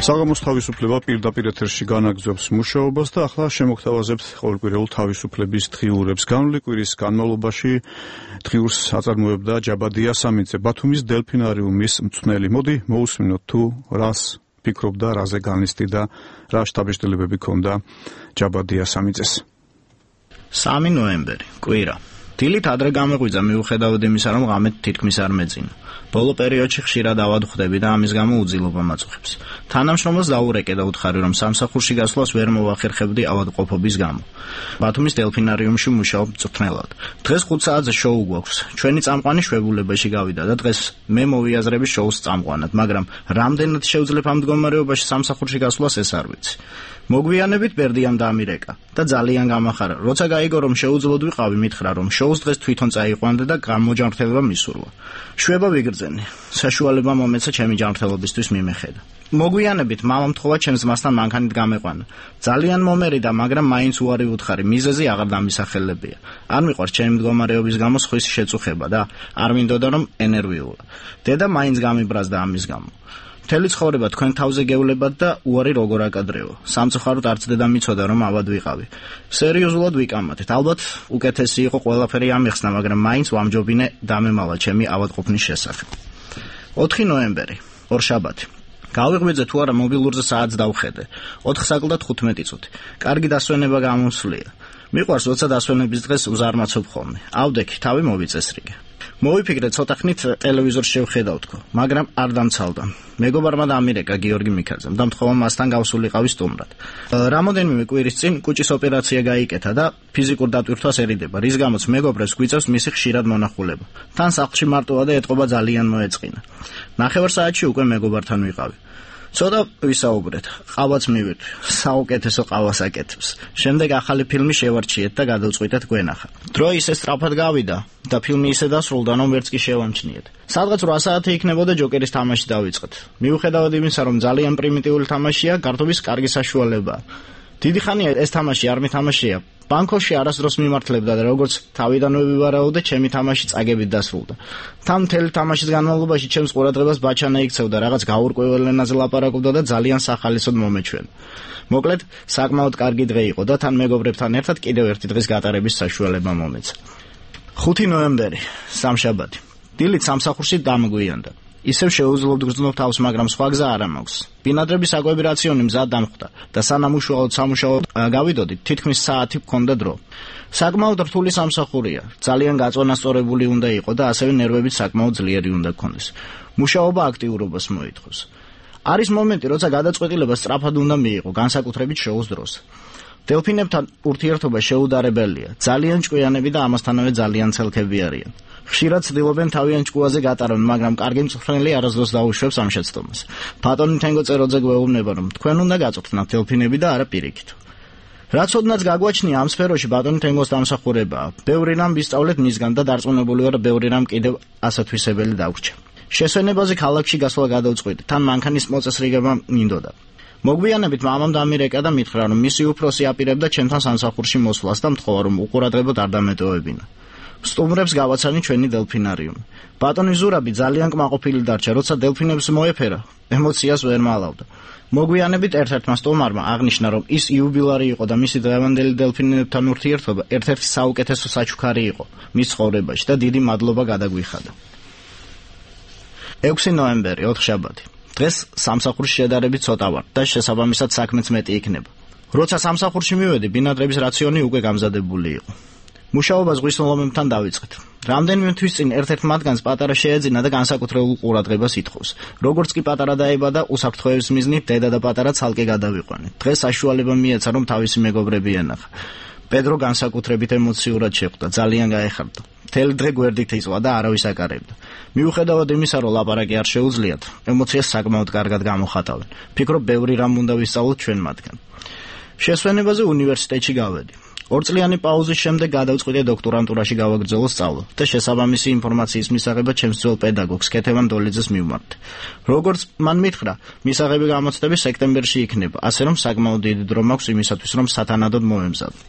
საღამოს თავისუფლება პირდაპირ ეთერში განაგრძობს მუშაობას და ახლა შემოგთავაზებთ ყოველკვირეულ თავისუფლების დღიურებს. განვლილი კვირის განმავლობაში დღიურს აწარმოებდა ჯაბადია სამიძე, ბათუმის დელფინარიუმის მწვრთნელი. მოდი მოусმინოთ თუ რას ფიქრობდა, რაზე განლისტი და რა შთაბეჭდილებები ჰქონდა ჯაბადია სამიძეს. 3 ნოემბერი, კვირა. დილით ადრე გამეღვიძა მიუხედავად იმისა, რომ ღამე თითქმის არ მეძინა. ბოლო პერიოდში ხშირად ავადმყოფები და ამის გამო უძილობა მაწუხებს. თანამშრომელს დაურეკე და უთხარი, რომ სამსახურში გასვლას ვერ მოვახერხებდი ავადმყოფობის გამო. ბათუმის დელფინარიუმში მუშაობ მწვრთნელად. დღეს 5 საათზე შოუ გვაქვს. ჩვენი წამყვანი შვებულებაში გავიდა და დღეს მე მოვიაზრები შოუს წამყვანად, მაგრამ რამდენად შევძლებ ამ მდგომარეობაში სამსახურში გასვლას ეს არ ვიცი. მოგვიანებით ბერდიამ დამირეკა და ძალიან გამახარა. როცა გაიგო რომ შეუძლოდ ვიყავი, მითხრა რომ შოუს დღეს თვითონ წაიყვანდა და გამოჯანმრთელება მისურვა. შვება ვიგრძენი. საშუალება მომეცა ჩემი ჯანმრთელობისთვის მიმეხედა. მოგვიანებით მამამ თხოვა ჩემს ძმასთან მანქანით გამეყვანა. ძალიან მომერიდა, მაგრამ მაინც უარი ვუთხარი, მიზეზი აღარ დამისახელებია. არ მიყვარს ჩემი მდგომარეობის გამო სხვის შეწუხება და არ მინდოდა რომ ენერვიულა. დედა მაინც გამიბრაზდა ამის გამო. მთელი ცხოვრება თქვენ თავზე გევლებათ და უარი როგორ აკადრეო. სამწუხაროდ არც დედა მიცოდა რომ ავად ვიყავი. სერიოზულად ვიკამათეთ. ალბათ უკეთესი იყო ყველაფერი ამიხსნა, მაგრამ მაინც ვამჯობინე დამემალა ჩემი ავადმყოფნის შესახებ. 4 ნოემბერი, ორშაბათი. გავიღვიძე თუ არა მობილურზე საათს დავხედე. 4:15 წუთი. კარგი დასვენება გამოსვლია. მიყვარს როცა დასვენების დღეს უზარმაცობ ხოლმე. ავდექი, თავი მოვიწესრიგე. მოვიფიქრე ცოტა ხნით ტელევიზორს შევხედავ თქო, მაგრამ არ დამცალდა. მეგობარმა დამირეკა გიორგი მიქაძემ და მთხოვა მასთან გავსულიყავი სტუმრად. რამოდენიმე კვირის წინ კუჭის ოპერაცია გაიკეთა და ფიზიკურ დატვირთვასერიდება, რის გამოც მეგობრებს გვიწევს მისი ხშირად მონახულება. თან სახლში მარტოა და ეთყობა ძალიან მოეწყინა. ნახევარ საათში უკვე მეგობართან ვიყავი. ცოტა ვისაუბრეთ, ყავაც მივირთვი, საუკეთესო ყავას აკეთებს. შემდეგ ახალი ფილმი შევარჩიეთ და გადავწყვიტეთ გვენახა. დრო ისე სწრაფად გავიდა და ფილმი ისე დასრულდა, რომ ვერც კი შევამჩნიეთ. სადღაც 8 საათი იქნებოდა ჯოკერის თამაში დავიწყეთ. მიუხედავად იმისა, რომ ძალიან პრიმიტიული თამაშია, გართობის კარგი საშუალებაა. დიდი ხანია ეს თამაში არ მითამაშია. ბანკოში არასდროს მიმართლებდა და როგორც თავიდანვე ვივარაუდე, ჩემი თამაში წაგებით დასრულდა. თან მთელი თამაშის განმავლობაში ჩემს ყურადღებას ბაჩანა იქცევდა, რაღაც გაურკვეველ ენაზე ლაპარაკობდა და ძალიან სახალისოდ მომეჩვენა. მოკლედ, საკმაოდ კარგი დღე იყო და თან მეგობრებთან ერთად კიდევ ერთი დღის გატარების საშუალება მომეცა. 5 ნოემბერი, სამშაბათი. დილით სამსახურში დამგვიანდა. ისევ შეუძლობთ გრძნობ თავს, მაგრამ სხვა გზა არ მაქვს. ბინადრების საკვები რაციონი მზად დამხვდა და სანამ უშუალოდ სამუშაოდ გავიდოდით, თითქმის საათი გქონდა დრო. საკმაოდ რთული სამსახურია, ძალიან გაწონასწორებული უნდა იყო და ასევე ნერვებიც საკმაოდ ძლიერი უნდა გქონდეს. მუშაობა აქტიურობას მოითხოვს. არის მომენტი, როცა გადაწყვეტილება სწრაფად უნდა მიიღო, განსაკუთრებით შოუს დროს. დელფინებთან ურთიერთობა შეუდარებელია, ძალიან ჭკვიანები და ამასთანავე ძალიან ცელქები არიან. ხშირად ცდილობენ თავიანთ ჭკუაზე გატარონ, მაგრამ კარგი მწვრთნელი არასდროს დაუშვებს ამ შეცდომას. ბატონი თენგო წეროძე გვეუბნება, რომ თქვენ უნდა გაწვრთნათ დელფინები და არა პირიქით. რაც ოდნავ გაგვაჩნია ამ სფეროში ბატონი თენგოს დამსახურებაა. ბევრი რამ ვისწავლეთ მისგან და დარწმუნებული ვარ, ბევრი რამ კიდევ ასათვისებელი დაგვრჩა. შესვენებაზე ქალაქში გასვლა გადავწყვიტე, თან მანქანის მოწესრიგება მინდოდა. მოგვიანებით მამამ დამირეკა და მითხრა, რომ მისი უფროსი აპირებდა ჩემთან სამსახურში მოსვლას და მთხოვა, რომ უყურადღებოდ არ დამეტოვებინა. სტუმრებს გავაცანი ჩვენი დელფინარიუმი. ბატონი ზურაბი ძალიან კმაყოფილი დარჩა, როცა დელფინებს მოეფერა, ემოციას ვერ მალავდა. მოგვიანებით ერთ-ერთმა სტუმარმა აღნიშნა, რომ ის იუბილარი იყო და მისი დღევანდელი დელფინებთან ურთიერთობა ერთ-ერთი საუკეთესო საჩუქარი იყო მის ცხოვრებაში და დიდი მადლობა გადაგვიხადა. 6 ნოემბერი, ოთხშაბათი. დღეს სამსახურში შედარებით ცოტა ვარ და შესაბამისად საქმეც მეტი იქნება. როცა სამსახურში მივედი, ბინადრების რაციონი უკვე გამზადებული იყო. მუშაობა ზღვის ლომებთან დავიწყეთ. რამდენიმე თვის წინ ერთ-ერთ მათგანს პატარა შეეძინა და განსაკუთრებულ ყურადღებას ითხოვს. როგორც კი პატარა დაიბადა, უსაფრთხოების მიზნით დედა და პატარა ცალკე გადავიყვანეთ. დღეს საშუალება მიეცა, რომ თავისი მეგობრები ენახა. პედრო განსაკუთრებით ემოციურად შეხვდა, ძალიან გაეხარდა. მთელი დღე გვერდით იწვა და არავის აკარებდა. მიუხედავად იმისა, რომ ლაპარაკი არ შეუძლიათ, ემოციას საკმაოდ კარგად გამოხატავენ. ფიქრობ, ბევრი რამ უნდა ვისწავლოთ ჩვენ მათგან. შესვენებაზე უნივერსიტეტში გავედი. 2 წლიანი პაუზის შემდეგ გადავწყვიტე დოქტორანტურაში გავაგრძელო სწავლა და შესაბამისი ინფორმაციის მისაღებად ჩემს ძველ პედაგოგს კეთევან დოლიძეს მივმართ. როგორც მან მითხრა, მისაღები გამოცდები სექტემბერში იქნება, ასე რომ საკმაოდ დიდი დრო მაქვს იმისათვის, რომ სათანადოდ მოემზადო.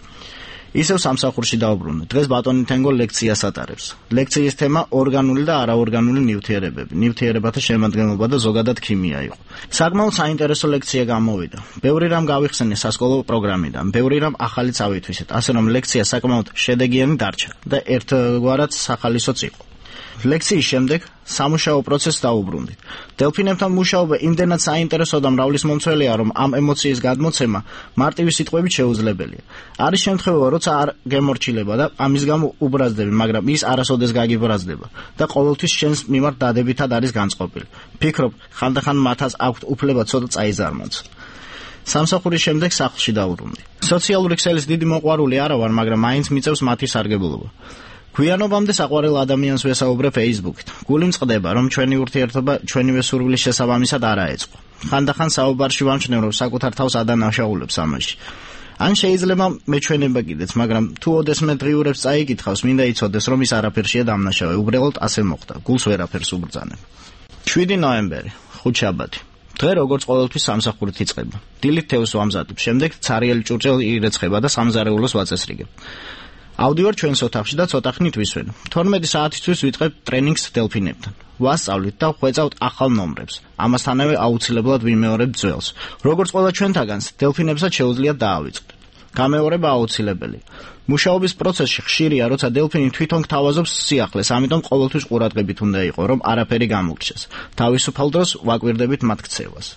ისევ სამსახურში დავბრუნე. დღეს ბატონი თენგო ლექციას ატარებს. ლექციის თემა ორგანული და არაორგანული ნივთიერებები, ნივთიერებათა შემადგენლობა და ზოგადად ქიმია იყო. საკმაოდ საინტერესო ლექცია გამოვიდა. ბევრი რამ გავიხსენე სასკოლო პროგრამიდან, ბევრი რამ ახალიც ავითვისეთ, ასე რომ ლექცია საკმაოდ შედეგიანი დარჩა და ერთგვარად სახალისოც იყო. ლექციის შემდეგ სამუშაო პროცესს დაუბრუნდით. დელფინებთან მუშაობა იმდენად საინტერესო და მრავლის მომცველია, რომ ამ ემოციის გადმოცემა მარტივი სიტყვებით შეუძლებელია. არის შემთხვევა, როცა არ გემორჩილება და ამის გამო უბრაზდები, მაგრამ ის არასოდეს გაგიბრაზდება და ყოველთვის შენს მიმართ დადებითად არის განწყობილი. ფიქრობ, ხანდახან მათაც აქვთ უფლება ცოტა წაიზარმოც. სამსახურის შემდეგ სახლში დავბრუნდი. სოციალური ქსელის დიდი მოყვარული არა ვარ, მაგრამ მაინც მიწევს მათი სარგებლობა. გვიანობამდე საყვარელ ადამიანს ვესაუბრე Facebook-ით. გული მწყდება, რომ ჩვენი ურთიერთობა ჩვენივე სურვილის შესაბამისად არ აეწყო. ხანდახან საუბარში ვამჩნევ, რომ საკუთარ თავს ადანაშაულებს ამაში. ან შეიძლება მეჩვენება კიდეც, მაგრამ თუ ოდესმე დღიურებს წაიკითხავს, მინდა იცოდეს, რომ ის არაფერშია დამნაშავე. უბრალოდ ასე მოხდა. გულს ვერაფერს უბრძანებ. 7 ნოემბერი, ხუთშაბათი. დღე როგორც ყოველთვის სამსახურით იწყება. დილით თევზს ვამზადებ, შემდეგ ცარიელი ჭურჭელი ირეცხება და სამზარეულოს ვაწესრიგებ. ავდივარ ჩვენს ოთახში და ცოტა ხნით ვისვენ. 12 საათისთვის ვიწყებ ტრენინგს დელფინებთან. ვასწავლით და ვხვეწავთ ახალ ნომრებს. ამასთანავე აუცილებლად ვიმეორებთ ძველს. როგორც ყველა ჩვენთაგანს, დელფინებსაც შეუძლიათ დაავიწყდეთ. გამეორება აუცილებელია. მუშაობის პროცესში ხშირია, როცა დელფინი თვითონ გთავაზობს სიახლეს, ამიტომ ყოველთვის ყურადღებით უნდა იყო, რომ არაფერი გამოგრჩეს. თავისუფალ დროს ვაკვირდებით მათ ქცევას.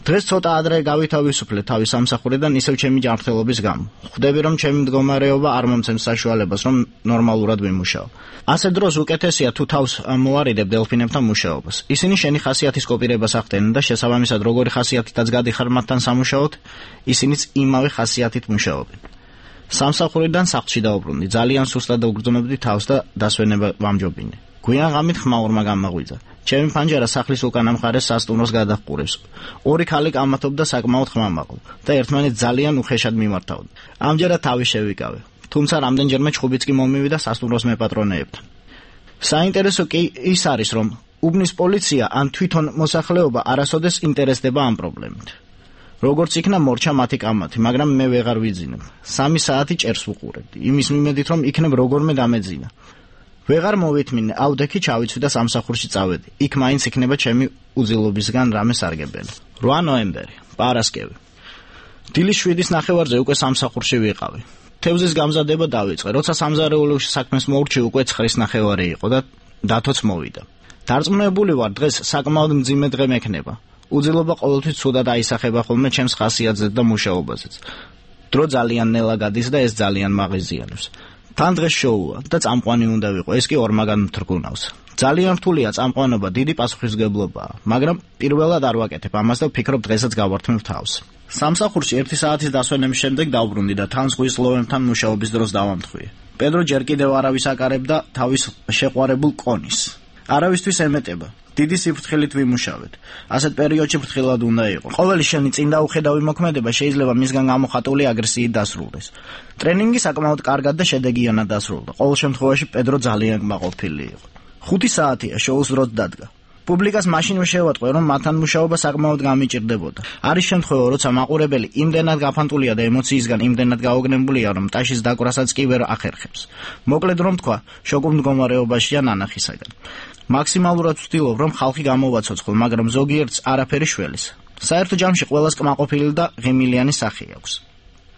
დღეს ცოტა ადრე გავითავისუფლე თავის სამსახურიდან ისევ ჩემი ჯანმრთელობის გამო. ხვდები, რომ ჩემი მდგომარეობა არ მომცემს საშუალებას, რომ ნორმალურად ვიმუშაო. ასე დროს უკეთესია თუ თავს მოარიდებ დელფინებთან მუშაობას. ისინი შენი ხასიათის კოპირებას ახდენენ და შესაბამისად როგორი ხასიათითაც გადიხარ მათთან სამუშაოდ, ისინიც იმავე ხასიათით მუშაობენ. სამსახურიდან სახლში დავბრუნდი. ძალიან სუსტად ვგრძნობდი თავს და დასვენება ვამჯობინე. გვიან ღამით ხმაურმა გამაღვიძა. ჩემი ფანჯარა სახლის უკანა მხარეს სასტუმროს გადაჰყურებს. ორი ქალი გამათობდა საკმაოდ ხმამაღლა და ერთმანეთს ძალიან უხეშად მიმართავდნენ. ამჯერად თავი შევიკავე. თუმცა რამდენჯერმე ჩხუბიც კი მომივიდა სასტუმროს მეპატრონეებთან. საინტერესო კი ის არის, რომ უბნის პოლიცია ან თვითონ მოსახლეობა არასოდეს ინტერესდება ამ პრობლემით. როგორც იქნა მორჩა მათი კამათი, მაგრამ მე ვეღარ ვიძინებ. 3 საათი ჭერს ვუყურებდი, იმის მიმედით, რომ იქნებ როგორმე დამეძინა. ვეღარ მოვითმინე, ავდექი ჩავიცვი და სამსახურში წავედი. იქ მაინც იქნება ჩემი უძილობისგან რამე სარგებელი. 8 ნოემბერი, პარასკევი. დილის 7-ის ნახევარზე უკვე სამსახურში ვიყავი. თევზის გამზადება დავიწყე. როცა სამზარეულოში საქმეს მოურჩი, უკვე 9-ის ნახევარი იყო და დათოც მოვიდა. დარწმუნებული ვარ, დღეს საკმაოდ მძიმე დღე მექნება. უძილობა ყოველთვის ცუდად აისახება ხოლმე ჩემს ხასიათზეც და მუშაობაზეც. დრო ძალიან ნელა გადის და ეს ძალიან მაღიზიანებს. თან დღეს შოუა და წამყვანი უნდა ვიყო, ეს კი ორმაგან მთრგუნავს. ძალიან რთულია წამყვანობა, დიდი პასუხისმგებლობაა, მაგრამ პირველად არ ვაკეთებ ამას და ვფიქრობ დღესაც გავართმევ თავს. სამსახურში 1 საათის დასვენების შემდეგ დავბრუნდი და თან ზღვის ლოვებთან მუშაობის დროს დავამთხვიე. პედრო ჯერ კიდევ არავის აკარებდა თავის შეყვარებულ კონის. არავისთვის ემეტება. დიდი სიფრთხილით ვიმუშავეთ. ასეთ პერიოდში ფრთხილად უნდა იყო. ყოველი შენი წინ დაუხედავი მოქმედება შეიძლება მისგან გამოხატული აგრესიით დასრულდეს. ტრენინგი საკმაოდ კარგად და შედეგიანად დასრულდა. ყოველ შემთხვევაში პედრო ძალიან კმაყოფილი იყო. 5 საათია შოუს დროს დადგა. პუბლიკას მაშინვე შევატყვე, რომ მათთან მუშაობა საკმაოდ გამიჭირდებოდა. არის შემთხვევა, როცა მაყურებელი იმდენად გაფანტულია და ემოციისგან იმდენად გაოგნებულია, რომ ტაშის დაკვრასაც კი ვერ ახერხებს. მოკლედ რომ თქვა, შოკურ მდგომარეობაშია ნანახისაგან. მაქსიმალურად ვცდილობ, რომ ხალხი გამოვაცოცხლო, მაგრამ ზოგიერთს არაფერი შველის. საერთო ჯამში ყველას კმაყოფილი და ღიმილიანი სახე აქვს.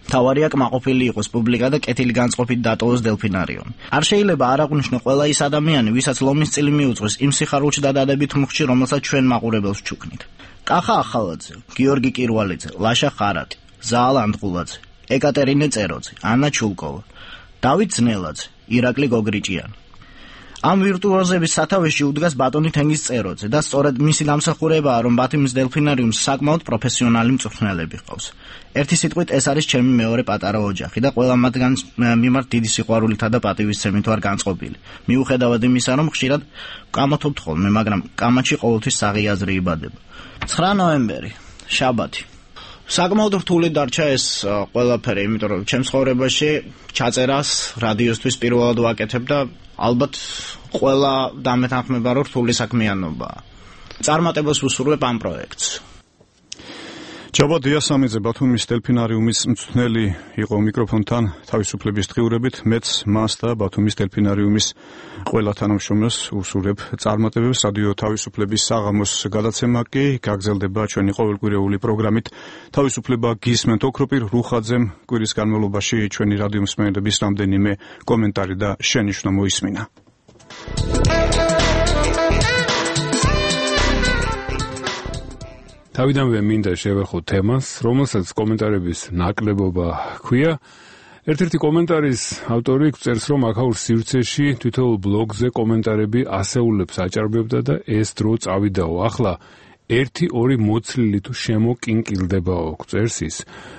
თავარია კმაყოფილი იყოს პუბლიკა და კეთილი განწყობით დატოვოს დელფინარიონი. არ შეიძლება არ აღვნიშნო ყველა ის ადამიანი, ვისაც ლომის წილი მიუძღვის იმ სიხარულში და დადებით მუხში, რომელსაც ჩვენ მაყურებელს ჩუქნით. კახა ახალაძე, გიორგი კირვალიძე, ლაშა ხარატი, ზაალ ანდღულაძე, ეკატერინე წეროძე, ანა ჩულკოვა, დავით ძნელაძე, ირაკლი გოგრიჭიანი. ამ ვირტუოზების სათავეში უდგას ბატონი თენგიზ წეროძე და სწორედ მისი დამსახურებაა, რომ ბათუმის დელფინარიუმს საკმაოდ პროფესიონალი მწვრთნელები ჰყავს. ერთი სიტყვით ეს არის ჩემი მეორე პატარა ოჯახი და ყველა მათგანს მიმართ დიდი სიყვარულითა და პატივისცემით ვარ განწყობილი. მიუხედავად იმისა, რომ ხშირად ვკამათობთ ხოლმე, მაგრამ კამათში ყოველთვის საღი აზრი იბადება. 9 ნოემბერი, შაბათი. საკმაოდ რთული დარჩა ეს ყველაფერი, იმიტომ რომ ჩემს ცხოვრებაში ჩაწერას რადიოსთვის პირველად ვაკეთებ და ალბათ ყველა დამეთანხმება, რომ რთული საქმიანობაა. წარმატებას ვუსურვებ ამ პროექტს. ჯაბა დიასამიძე ბათუმის დელფინარიუმის მწვრთნელი იყო მიკროფონთან თავისუფლების დღიურებით. მეც მას და ბათუმის დელფინარიუმის ყველა თანამშრომელს ვუსურვებ წარმატებებს. რადიო თავისუფლების საღამოს გადაცემა კი გაგრძელდება ჩვენი ყოველკვირეული პროგრამით. თავისუფლება გისმენთ ოქროპირ რუხაძემ კვირის განმავლობაში ჩვენი რადიო მსმენელების რამდენიმე კომენტარი და შენიშვნა მოისმინა. თავიდანვე მინდა შევეხო თემას, რომელსაც კომენტარების ნაკლებობა ჰქვია. ერთ-ერთი კომენტარის ავტორი წერს, რომ აქაურ სივრცეში თითოეულ ბლოგზე კომენტარები ასეულებს აჭარბებდა და ეს დრო წავიდაო. ახლა 1-2 მოცლილი თუ შემოკინკილდებაო, წერს ის.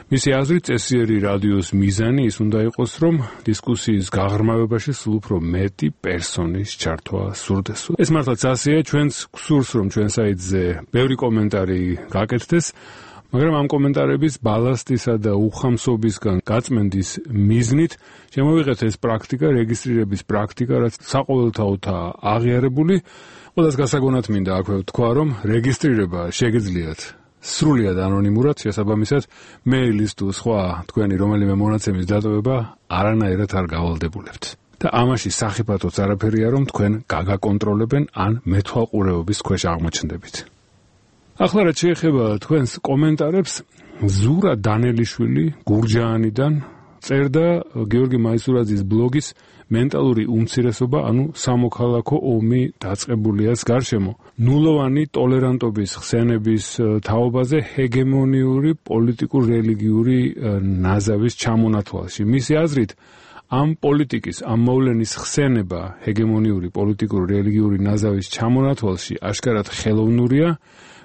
მისი აზრით, წესიერი რადიოს მიზანი ის უნდა იყოს, რომ დისკუსიის გაღრმავებაში სულ უფრო მეტი პერსონის ჩართვა სურდესო. ეს მართლაც ასეა, ჩვენც გვსურს, რომ ჩვენ საიტზე ბევრი კომენტარი გაკეთდეს, მაგრამ ამ კომენტარების ბალასტისა და უხამსობისგან გაწმენდის მიზნით შემოვიღეთ ეს პრაქტიკა, რეგისტრირების პრაქტიკა, რაც საყოველთაოდაა აღიარებული. ყველას გასაგონად მინდა აქვე ვთქვა, რომ რეგისტრირება შეგიძლიათ სრულიად ანონიმურად, შესაბამისად, მეილის თუ სხვა თქვენი რომელიმე მონაცემის დატოვება არანაირად არ გავალდებულებთ. და ამაში სახიფათოც არაფერია, რომ თქვენ გაგაკონტროლებენ ან მეთვალყურეობის ქვეშ აღმოჩნდებით. ახლა რაც შეეხება თქვენს კომენტარებს, ზურა დანელიშვილი გურჯაანიდან წერდა გიორგი მაისურაძის ბლოგის მენტალური უმცირესობა, ანუ სამოქალაქო ომი დაწყებულიას გარშემო. ნულოვანი ტოლერანტობის ხსენების თაობაზე ჰეგემონიური პოლიტიკურ-რელიგიური ნაზავის ჩამონათვალში. მისი აზრით, ამ პოლიტიკის, ამ მოვლენის ხსენება ჰეგემონიური პოლიტიკურ-რელიგიური ნაზავის ჩამონათვალში აშკარად ხელოვნურია,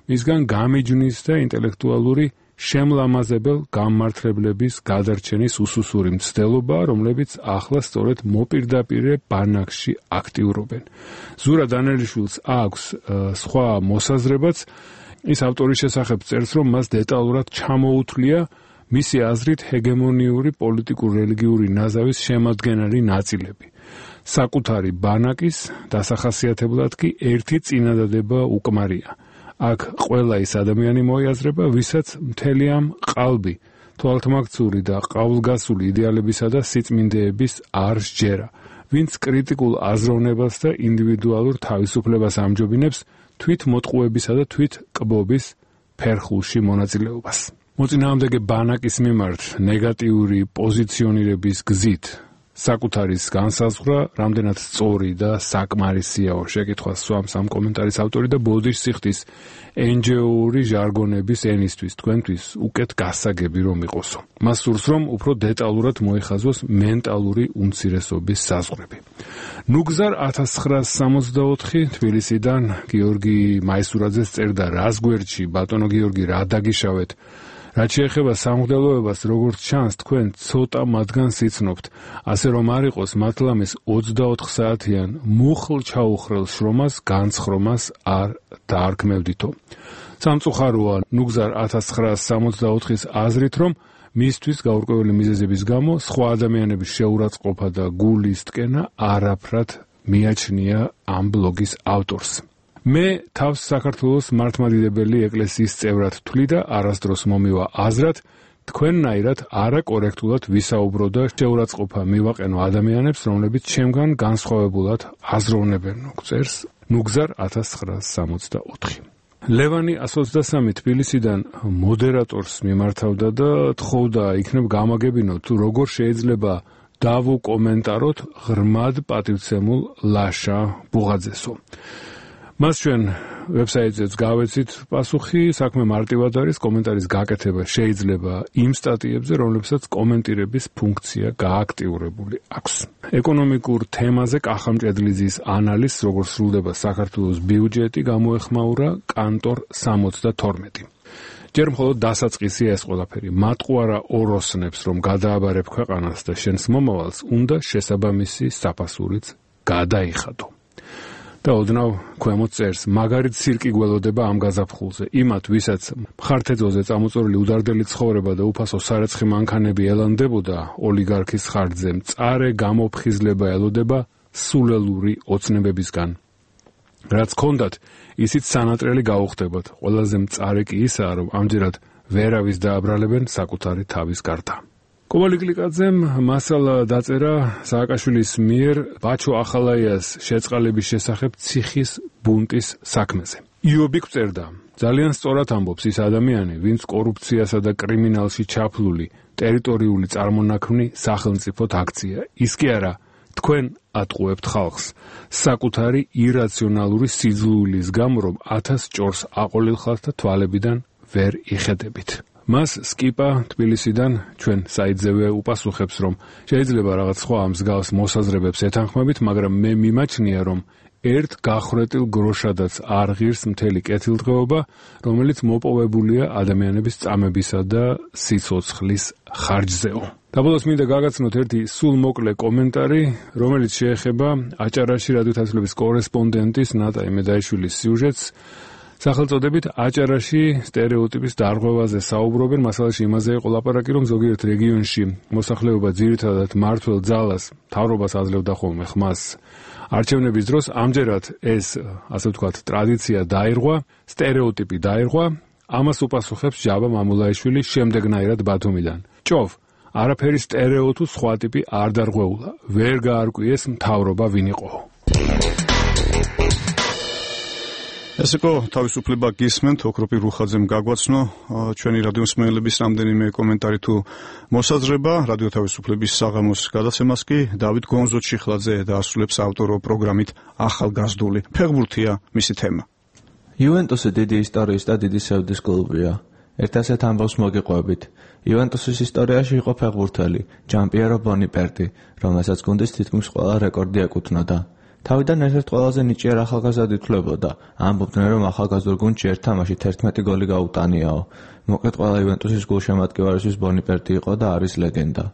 მისგან გამიჯვნის და ინტელექტუალური შემლამაზებელ გამმართლებლების გადარჩენის უსუსური მცდელობა, რომლებიც ახლა სწორედ მოპირდაპირე ბანაკში აქტიურობენ. ზურა დანელიშვილს აქვს სხვა მოსაზრებაც, ის ავტორის შესახებ წერს, რომ მას დეტალურად ჩამოუთვლია მისი აზრით ჰეგემონიური პოლიტიკურ-რელიგიური ნაზავის შემადგენელი ნაწილები. საკუთარი ბანაკის დასახასიათებლად კი ერთი წინადადება უკმარია. აქ ყველა ის ადამიანი მოიაზრება, ვისაც მთელი ამ ყალბი, თვალთმაქცური და ყავლგასული იდეალებისა და სიწმინდეების არ სჯერა, ვინც კრიტიკულ აზროვნებას და ინდივიდუალურ თავისუფლებას ამჯობინებს თვით მოტყუებისა და თვით კბობის ფერხულში მონაწილეობას. მოწინააღმდეგე ბანაკის მიმართ ნეგატიური პოზიციონირების გზით საკუთარის განსაზღვრა რამდენად სწორი და საკმარისიაო შეკითხვას სვამს ამ კომენტარის ავტორი და ბოდიშ სიხდის NGO-ური ჟარგონების ენისთვის თქვენთვის უკეთ გასაგები რომ იყოსო. მას სურს რომ უფრო დეტალურად მოიხაზოს მენტალური უმცირესობის საზღვრები. ნუგზარ 1964 თბილისიდან გიორგი მაისურაძეს წერდა რას გვერდში ბატონო გიორგი რა დაგიშავეთ. რაც შეეხება სამღვდელოებას, როგორც ჩანს, თქვენ ცოტა მათგანს იცნობთ, ასე რომ არ იყოს მათლამის 24 საათიან მუხლ ჩაუხრელ შრომას, განცხრომას არ დაარქმევდითო. სამწუხაროა ნუგზარ 1964-ის აზრით, რომ მისთვის გაურკვეველი მიზეზების გამო სხვა ადამიანების შეურაცხყოფა და გულის ტკენა არაფრად მიაჩნია ამ ბლოგის ავტორს. მე თავს საქართველოს მართლმადიდებელი ეკლესიის წევრად ვთვლი და არასდროს მომივა აზრად, თქვენნაირად არაკორექტულად ვისაუბრო და შეურაცხყოფა მივაყენო ადამიანებს, რომლებიც ჩემგან განსხვავებულად აზროვნებენ, წერს ნუგზარ 1964. ლევანი 123 თბილისიდან მოდერატორს მიმართავდა და თხოვდა იქნებ გამაგებინო თუ როგორ შეიძლება დავუკომენტაროთ ღრმად პატივცემულ ლაშა ბუღაძესო. მას ჩვენ ვებსაიტზეც გავეცით პასუხი, საქმე მარტივად არის, კომენტარის გაკეთება შეიძლება იმ სტატიებზე, რომლებსაც კომენტირების ფუნქცია გააქტიურებული აქვს. ეკონომიკურ თემაზე კახამჭედლიძის ანალიზს, როგორ სრულდება საქართველოს ბიუჯეტი, გამოეხმაურა კანტორ 72. ჯერ მხოლოდ დასაწყისია ეს ყველაფერი. მატყუარა ოროსნებს, რომ გადააბარებ ქვეყანას და შენს მომავალს, უნდა შესაბამისი საფასურიც გადაიხადო. და ოდნავ ქვემოთ წერს, მაგარით სირკი გველოდება ამ გაზაფხულზე. იმათ, ვისაც მხართეწოზე წამოწორილი udardeli ცხოვრება და უფასო სარეცხი მანქანები ელანდებოდა ოლიგარქის ხარჯზე, მწარე გამოფხიზლება ელოდება სულელური ოცნებებისგან. რაც ჰქონდათ, ისიც სანატრელი გაუხდებათ. ყველაზე მწარე კი ისაა, რომ ამჯერად ვერავის დააბრალებენ საკუთარი თავის გარდა. კოვალიკლიკაძემ მასალა დაწერა სააკაშვილის მიერ ბაჩო ახალაიას შეწყალების შესახებ ციხის ბუნტის საქმეზე. იობი გვწერდა, ძალიან სწორად ამბობს ის ადამიანი, ვინც კორუფციასა და კრიმინალში ჩაფლული ტერიტორიული წარმონაქმნი სახელმწიფოდ აქცია. ის კი არა, თქვენ ატყუებთ ხალხს საკუთარი ირაციონალური სიძულვილის გამო, რომ 1000 ჭორს აყოლილხართ და თვალებიდან ვერ იხედებით. მას სკიპა თბილისიდან ჩვენ საიძევე უპასუხებს, რომ შეიძლება რაღაც სხვა მსგავს მოსაზრებებს ეთანხმებით, მაგრამ მე მიმაჩნია, რომ ერთ გახრეტილ გროშადაც არ ღირს მთელი კეთილდღეობა, რომელიც მოპოვებულია ადამიანების წამებისა და სიცოცხლის ხარჯზეო. დაბოლოს მინდა გაგაცნოთ ერთი სულ მოკლე კომენტარი, რომელიც შეეხება აჭარაში რადიო თასლების კორესპონდენტის ნატა იმედაიშვილის სიუჟეტს. სახელწოდებით აჭარაში სტერეოტიპის დარღვევაზე საუბრობენ. მასალაში იმაზე იყო ლაპარაკი, რომ ზოგიერთ რეგიონში მოსახლეობა ძირითადად მმართველ ძალას, მთავრობას აძლევდა ხოლმე ხმას არჩევნების დროს. ამჯერად ეს, ასე ვთქვათ, ტრადიცია დაირღვა, სტერეოტიპი დაირღვა. ამას უპასუხებს ჯაბა მამულაიშვილი შემდეგნაირად ბათუმიდან. ჭოვ, არაფერი სტერეო თუ სხვა ტიპი არ დარღვეულა. ვერ გაარკვიეს მთავრობა ვინ იყო. ეს იყო თავისუფლება გისმენთ, ოქროპი რუხაძემ გაგვაცნო ჩვენი რადიო მსმენელების რამდენიმე კომენტარი თუ მოსაზრება. რადიო თავისუფლების საღამოს გადაცემას კი დავით გონზოჩიხლაძე დაასრულებს ავტორო პროგრამით ახალგაზრდული. ფეხბურთია მისი თემა. იუვენტუსი დიდი ისტორიის და დიდი სევდის კლუბია. ერთ ასეთ ამბავს მოგიყვებით. იუვენტუსის ისტორიაში იყო ფეხბურთელი ჯამპიერო ბონიპერტი, რომელსაც გუნდის თითქმის ყველა რეკორდი ეკუთვნოდა. თავიდან ერთ-ერთ ყველაზე ნიჭიერ ახალგაზრდად ითვლებოდა. ამბობდნენ, რომ ახალგაზრდულ გუნდში ერთ თამაში 11 გოლი გაუტანიაო. მოკლედ ყველა იუვენტუსის გულშემატკივარისთვის ბონიპერტი იყო და არის ლეგენდა.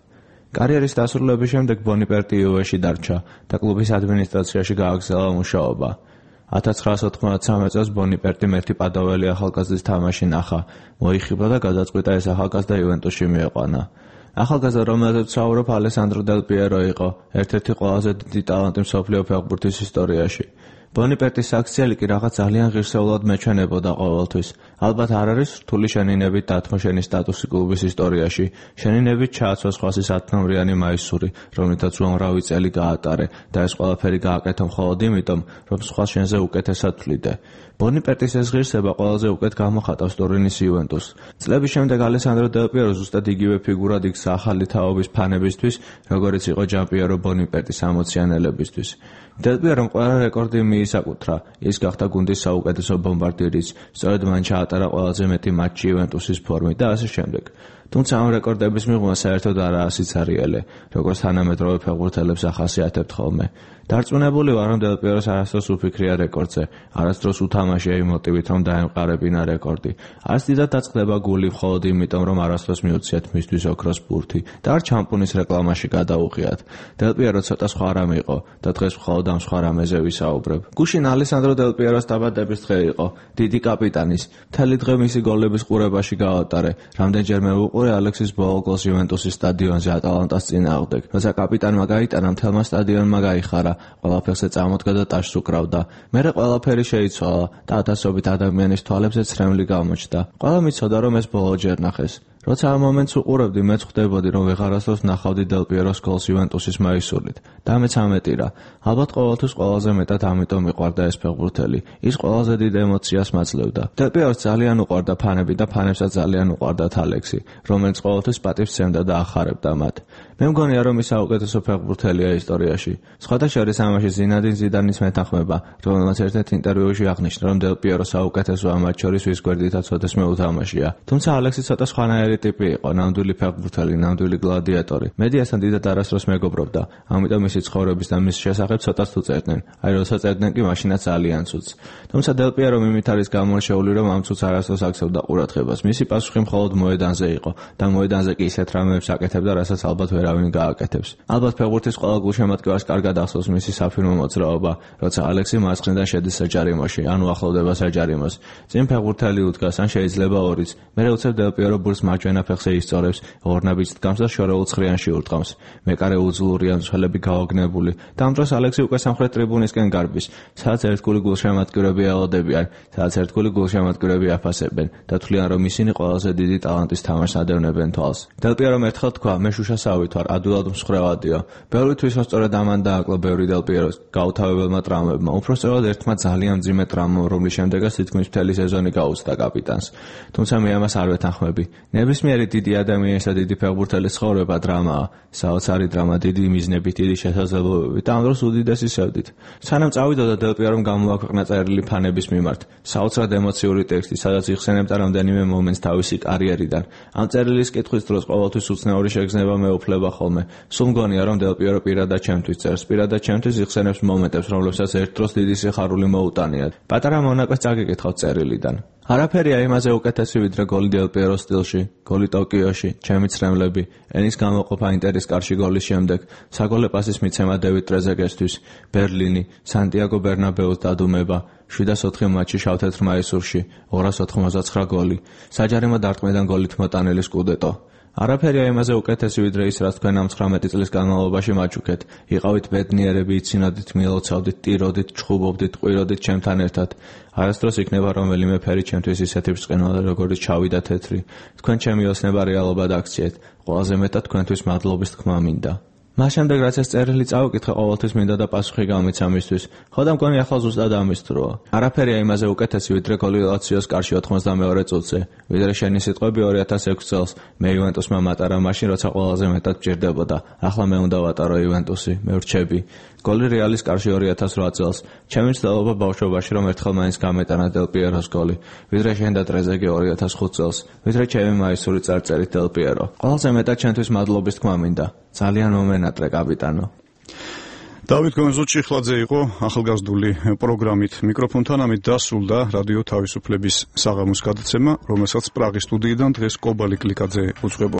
კარიერის დასრულების შემდეგ ბონიპერტი იუვეში დარჩა და კლუბის ადმინისტრაციაში გააგრძელა მუშაობა. 1993 წელს ბონიპერტი მერტი პადოველი ახალგაზრდის თამაში ნახა, მოიხიბლა და გადაწყვიტა ეს ახალგაზრდა იუვენტუსში მieყვანა. ახალგაზრდა, რომელზეც ვსაუბრობ, ალესანდრო დელ პიერო იყო ერთ-ერთი ყველაზე დიდი ტალანტი მსოფლიო ფეხბურთის ისტორიაში. ბონიპერტის აქციელი კი რაღაც ძალიან ღირსეულად მეჩვენებოდა ყოველთვის. ალბათ არ არის რთული შენინებით დათმოშენი სტატუსი კლუბის ისტორიაში. შენინებით ჩააცვა სხვასი 10 ნომრიანი მაისური, რომლითაც უამრავი წელი გაატარე და ეს ყველაფერი გააკეთე მხოლოდ იმიტომ, რომ სხვა შენზე უკეთესად თვლიდე. ბონიპერტის ეს ღირსება ყველაზე უკეთ გამოხატავს ტურინის იუვენტუსს. წლების შემდეგ ალესანდრო დელ პიერო ზუსტად იგივე ფიგურად იქცა ახალი თაობის ფანებისთვის, როგორიც იყო ჯამპიერო ბონიპერტის 60-იანელებისთვის. დელ პიერომ ყველა რეკორდი მიისაკუთრა. ის გახდა გუნდის საუკეთესო ბომბარდირიც, სწორედ მან ჩაატარა ყველაზე მეტი მატჩი იუვენტუსის ფორმით და ასე შემდეგ. თუმცა ამ რეკორდების მიღმა საერთოდ არაა სიცარიელე, როგორც თანამედროვე ფეხბურთელებს ახასიათებთ ხოლმე. დარწმუნებული ვარ, რომ დელ პიეროს არასდროს უფიქრია რეკორდზე, არასდროს უთამაშია იმ მოტივით, რომ დაემყარებინა რეკორდი. არც დიდად დაწყდება გული მხოლოდ იმიტომ, რომ არასდროს მიუციათ მისთვის ოქროს ბურთი და არ ჩამპუნის რეკლამაში გადაუღიათ. დელ პიერო ცოტა სხვა რამე იყო და დღეს მხოლოდ ამ სხვა რამეზე ვისაუბრებ. გუშინ ალესანდრო დელ პიეროს დაბადების დღე იყო, დიდი კაპიტანის. მთელი დღე მისი გოლების ყურებაში გაატარე. რამდენჯერმე უყურე ალექსის ბოლო გოლს იუვენტუსის სტადიონზე ატალანტას წინააღმდეგ. როცა კაპიტანმა გაიტანა, მთელმა სტადიონმა გაიხარა. ყველაფერზე წამოდგა და ტაშს უკრავდა. მერე ყველაფერი შეიცვალა და ათასობით ადამიანის თვალებზე ცრემლი გამოჩნდა. ყველა მიცოდა, რომ ეს ბოლო ჯერ ნახეს. როცა ამ მომენტს უყურებდი, მეც ხვდებოდი, რომ ვეღარასდროს ნახავდი დელ პიეროს გოლს იუვენტუსის მაისურით. და მეც ამეტირა. ალბათ ყოველთვის ყველაზე მეტად ამიტომ მიყვარდა ეს ფეხბურთელი. ის ყველაზე დიდ ემოციას მაძლევდა. დელ პიეროს ძალიან უყვარდა ფანები და ფანებსაც ძალიან უყვარდათ ალექსი, რომელიც ყოველთვის პატივს სცემდა და ახარებდა მათ. მე მგონია, რომ ის საუკეთესო ფეხბურთელია ისტორიაში. სხვათა შორის ამაში ზინედინ ზიდანის მეთანხმება, რომელმაც ერთ-ერთ ინტერვიუში აღნიშნა, რომ დელ პიერო საუკეთესო ამ მათ შორის ვის გვერდითაც ოდესმე უთამაშია. თუმცა ალექსი ცოტა სხვანაირი ტიპი იყო, ნამდვილი ფეხბურთელი, ნამდვილი გლადიატორი. მედიასთან დიდად არასდროს მეგობრობდა, ამიტომ მისი ცხოვრების და მის შესახებ ცოტას თუ წერდნენ. აი როცა წერდნენ კი მაშინაც ძალიან ცუდს. თუმცა დელ პიერო მიმით არის გამორჩეული, რომ ამ ცუდს არასდროს აქცევდა ყურადღებას. მისი პასუხი მხოლოდ მოედანზე იყო და მოედანზე კი ისეთ რამეებს აკეთებდა, რასაც ალბათ ვერავინ გააკეთებს. ალბათ ფეხბურთის ყველა გულშემატკივარს კარგად ახსოვს მისი საფირმო მოძრაობა, როცა ალექსი მარცხნიდან შედის საჯარიმოში, ანუ ახლოვდება საჯარიმოს. წინ ფეხბურთელი უდგას, ან შეიძლება ორიც. მერე უცებ დელ პიერო ბურს მარჯვენა ფეხზე ისწორებს, ორნაბიჯს დგამს და შორეულ ცხრიანში ურტყამს. მეკარე უძლურია, მწვრთნელები გაოგნებული. და ამ დროს ალექსი უკვე სამხრეთ ტრიბუნისკენ გარბის, სადაც ერთგული გულშემატკივრები ელოდებიან, სადაც ერთგული გულშემატკივრები აფასებენ და თვლიან, რომ ისინი ყველაზე დიდი ტალანტის თამაშს ადევნებენ თვალს. დელ პიერომ ერთხელ თქვა, მე შუშას ავით ვარ, ადვილად მსხრევადია. ბევრი თვის რომ სწორედ ამან დააკლა ბევრი დელ პიეროს გაუთავებელმა ტრამვებმა. უпростоრად ერთმა ძალიან მძიმე ტრამვამ, რომლის შემდეგაც თითქმის მთელი სეზონი გაუცდა კაპიტანს. თუმცა მე ამას არ ვეთანხმები. ნებისმიერი დიდი ადამიანის და დიდი ფეხბურთელის ცხოვრება დრამაა. საოცარი დრამა, დიდი მიზნებით, დიდი შესაძლებლობებით და ამ დროს უდიდესი სევდით. სანამ წავიდოდა დელ პიერომ გამოაქვეყნა წერილი ფანების მიმართ. საოცრად ემოციური ტექსტი, სადაც იხსენებდა რამდენიმე მომენტს თავისი კარიერიდან. ამ წერილის კითხვის დროს ყოველთვის უცნაური შეგრძნება მეუფლება ხოლმე. სულ მგონია რომ დელ პიერო პირადად ჩემთვის წერს, პირადად ჩემთვის იხსენებს მომენტებს, რომლებსაც ერთ დროს დიდი სიხარული მოუტანიათ. პატარა მონაკვეთს წაგეკითხავთ წერილიდან. არაფერია იმაზე უკეთესი ვიდრე გოლი დელ პიეროს სტილში, გოლი ტოკიოში, ჩემი ცრემლები, ენის გამოყოფა ინტერის კარში გოლის შემდეგ, საგოლე პასის მიცემა დევიდ ტრეზეგესთვის, ბერლინი, სანტიაგო ბერნაბეუს დადუმება, 704 მატჩი შავ-თეთრ მაისურში, 299 გოლი, საჯარიმო დარტყმიდან გოლით მოტანილი სკუდეტო. არაფერია იმაზე უკეთესი ვიდრე ის, რაც თქვენ ამ 19 წლის განმავლობაში მაჩუქეთ. იყავით ბედნიერები, იცინოდით, მილოცავდით, ტიროდით, ჩხუბობდით, ყვიროდით ჩემთან ერთად. არასდროს იქნება რომელიმე ფერი ჩემთვის ისეთი ბრწყინვალე, როგორც შავი და თეთრი. თქვენ ჩემი ოცნება რეალობად აქციეთ. ყველაზე მეტად თქვენთვის მადლობის თქმა მინდა. მას შემდეგ რაც ეს წერილი წავიკითხე, ყოველთვის მინდა და პასუხი გამიცა მისთვის. ხო და მგონი ახლა ზუსტად ამის დროა. არაფერია იმაზე უკეთესი ვიდრე გოლი ლაციოს კარში 92 წუთზე, ვიდრე შენი სიტყვები 2006 წელს მე იუვენტუსმა მატარა მაშინ, როცა ყველაზე მეტად მჭირდებოდა. ახლა მე უნდა ვატარო იუვენტუსი, მე ვრჩები. გოლი რეალის კარში 2008 წელს. ჩემი მცდელობა ბავშვობაში რომ ერთხელ მაინც გამეტანა დელ პიეროს გოლი, ვიდრე შენ და ტრეზეგე 2005 წელს, ვიდრე ჩემი მაისური წარწერით დელ პიერო. ყველაზე მეტად ჩემთვის მადლობის თქმა მინდა. ძალიან მომენატრე კაპიტანო. დავით გონზუჩიხლაძე იყო ახალგაზრდული პროგრამით. მიკროფონთან ამით დასრულდა რადიო თავისუფლების საღამოს გადაცემა, რომელსაც პრაღის სტუდიიდან დღეს კობალი კლიკაძე უძღვებოდა.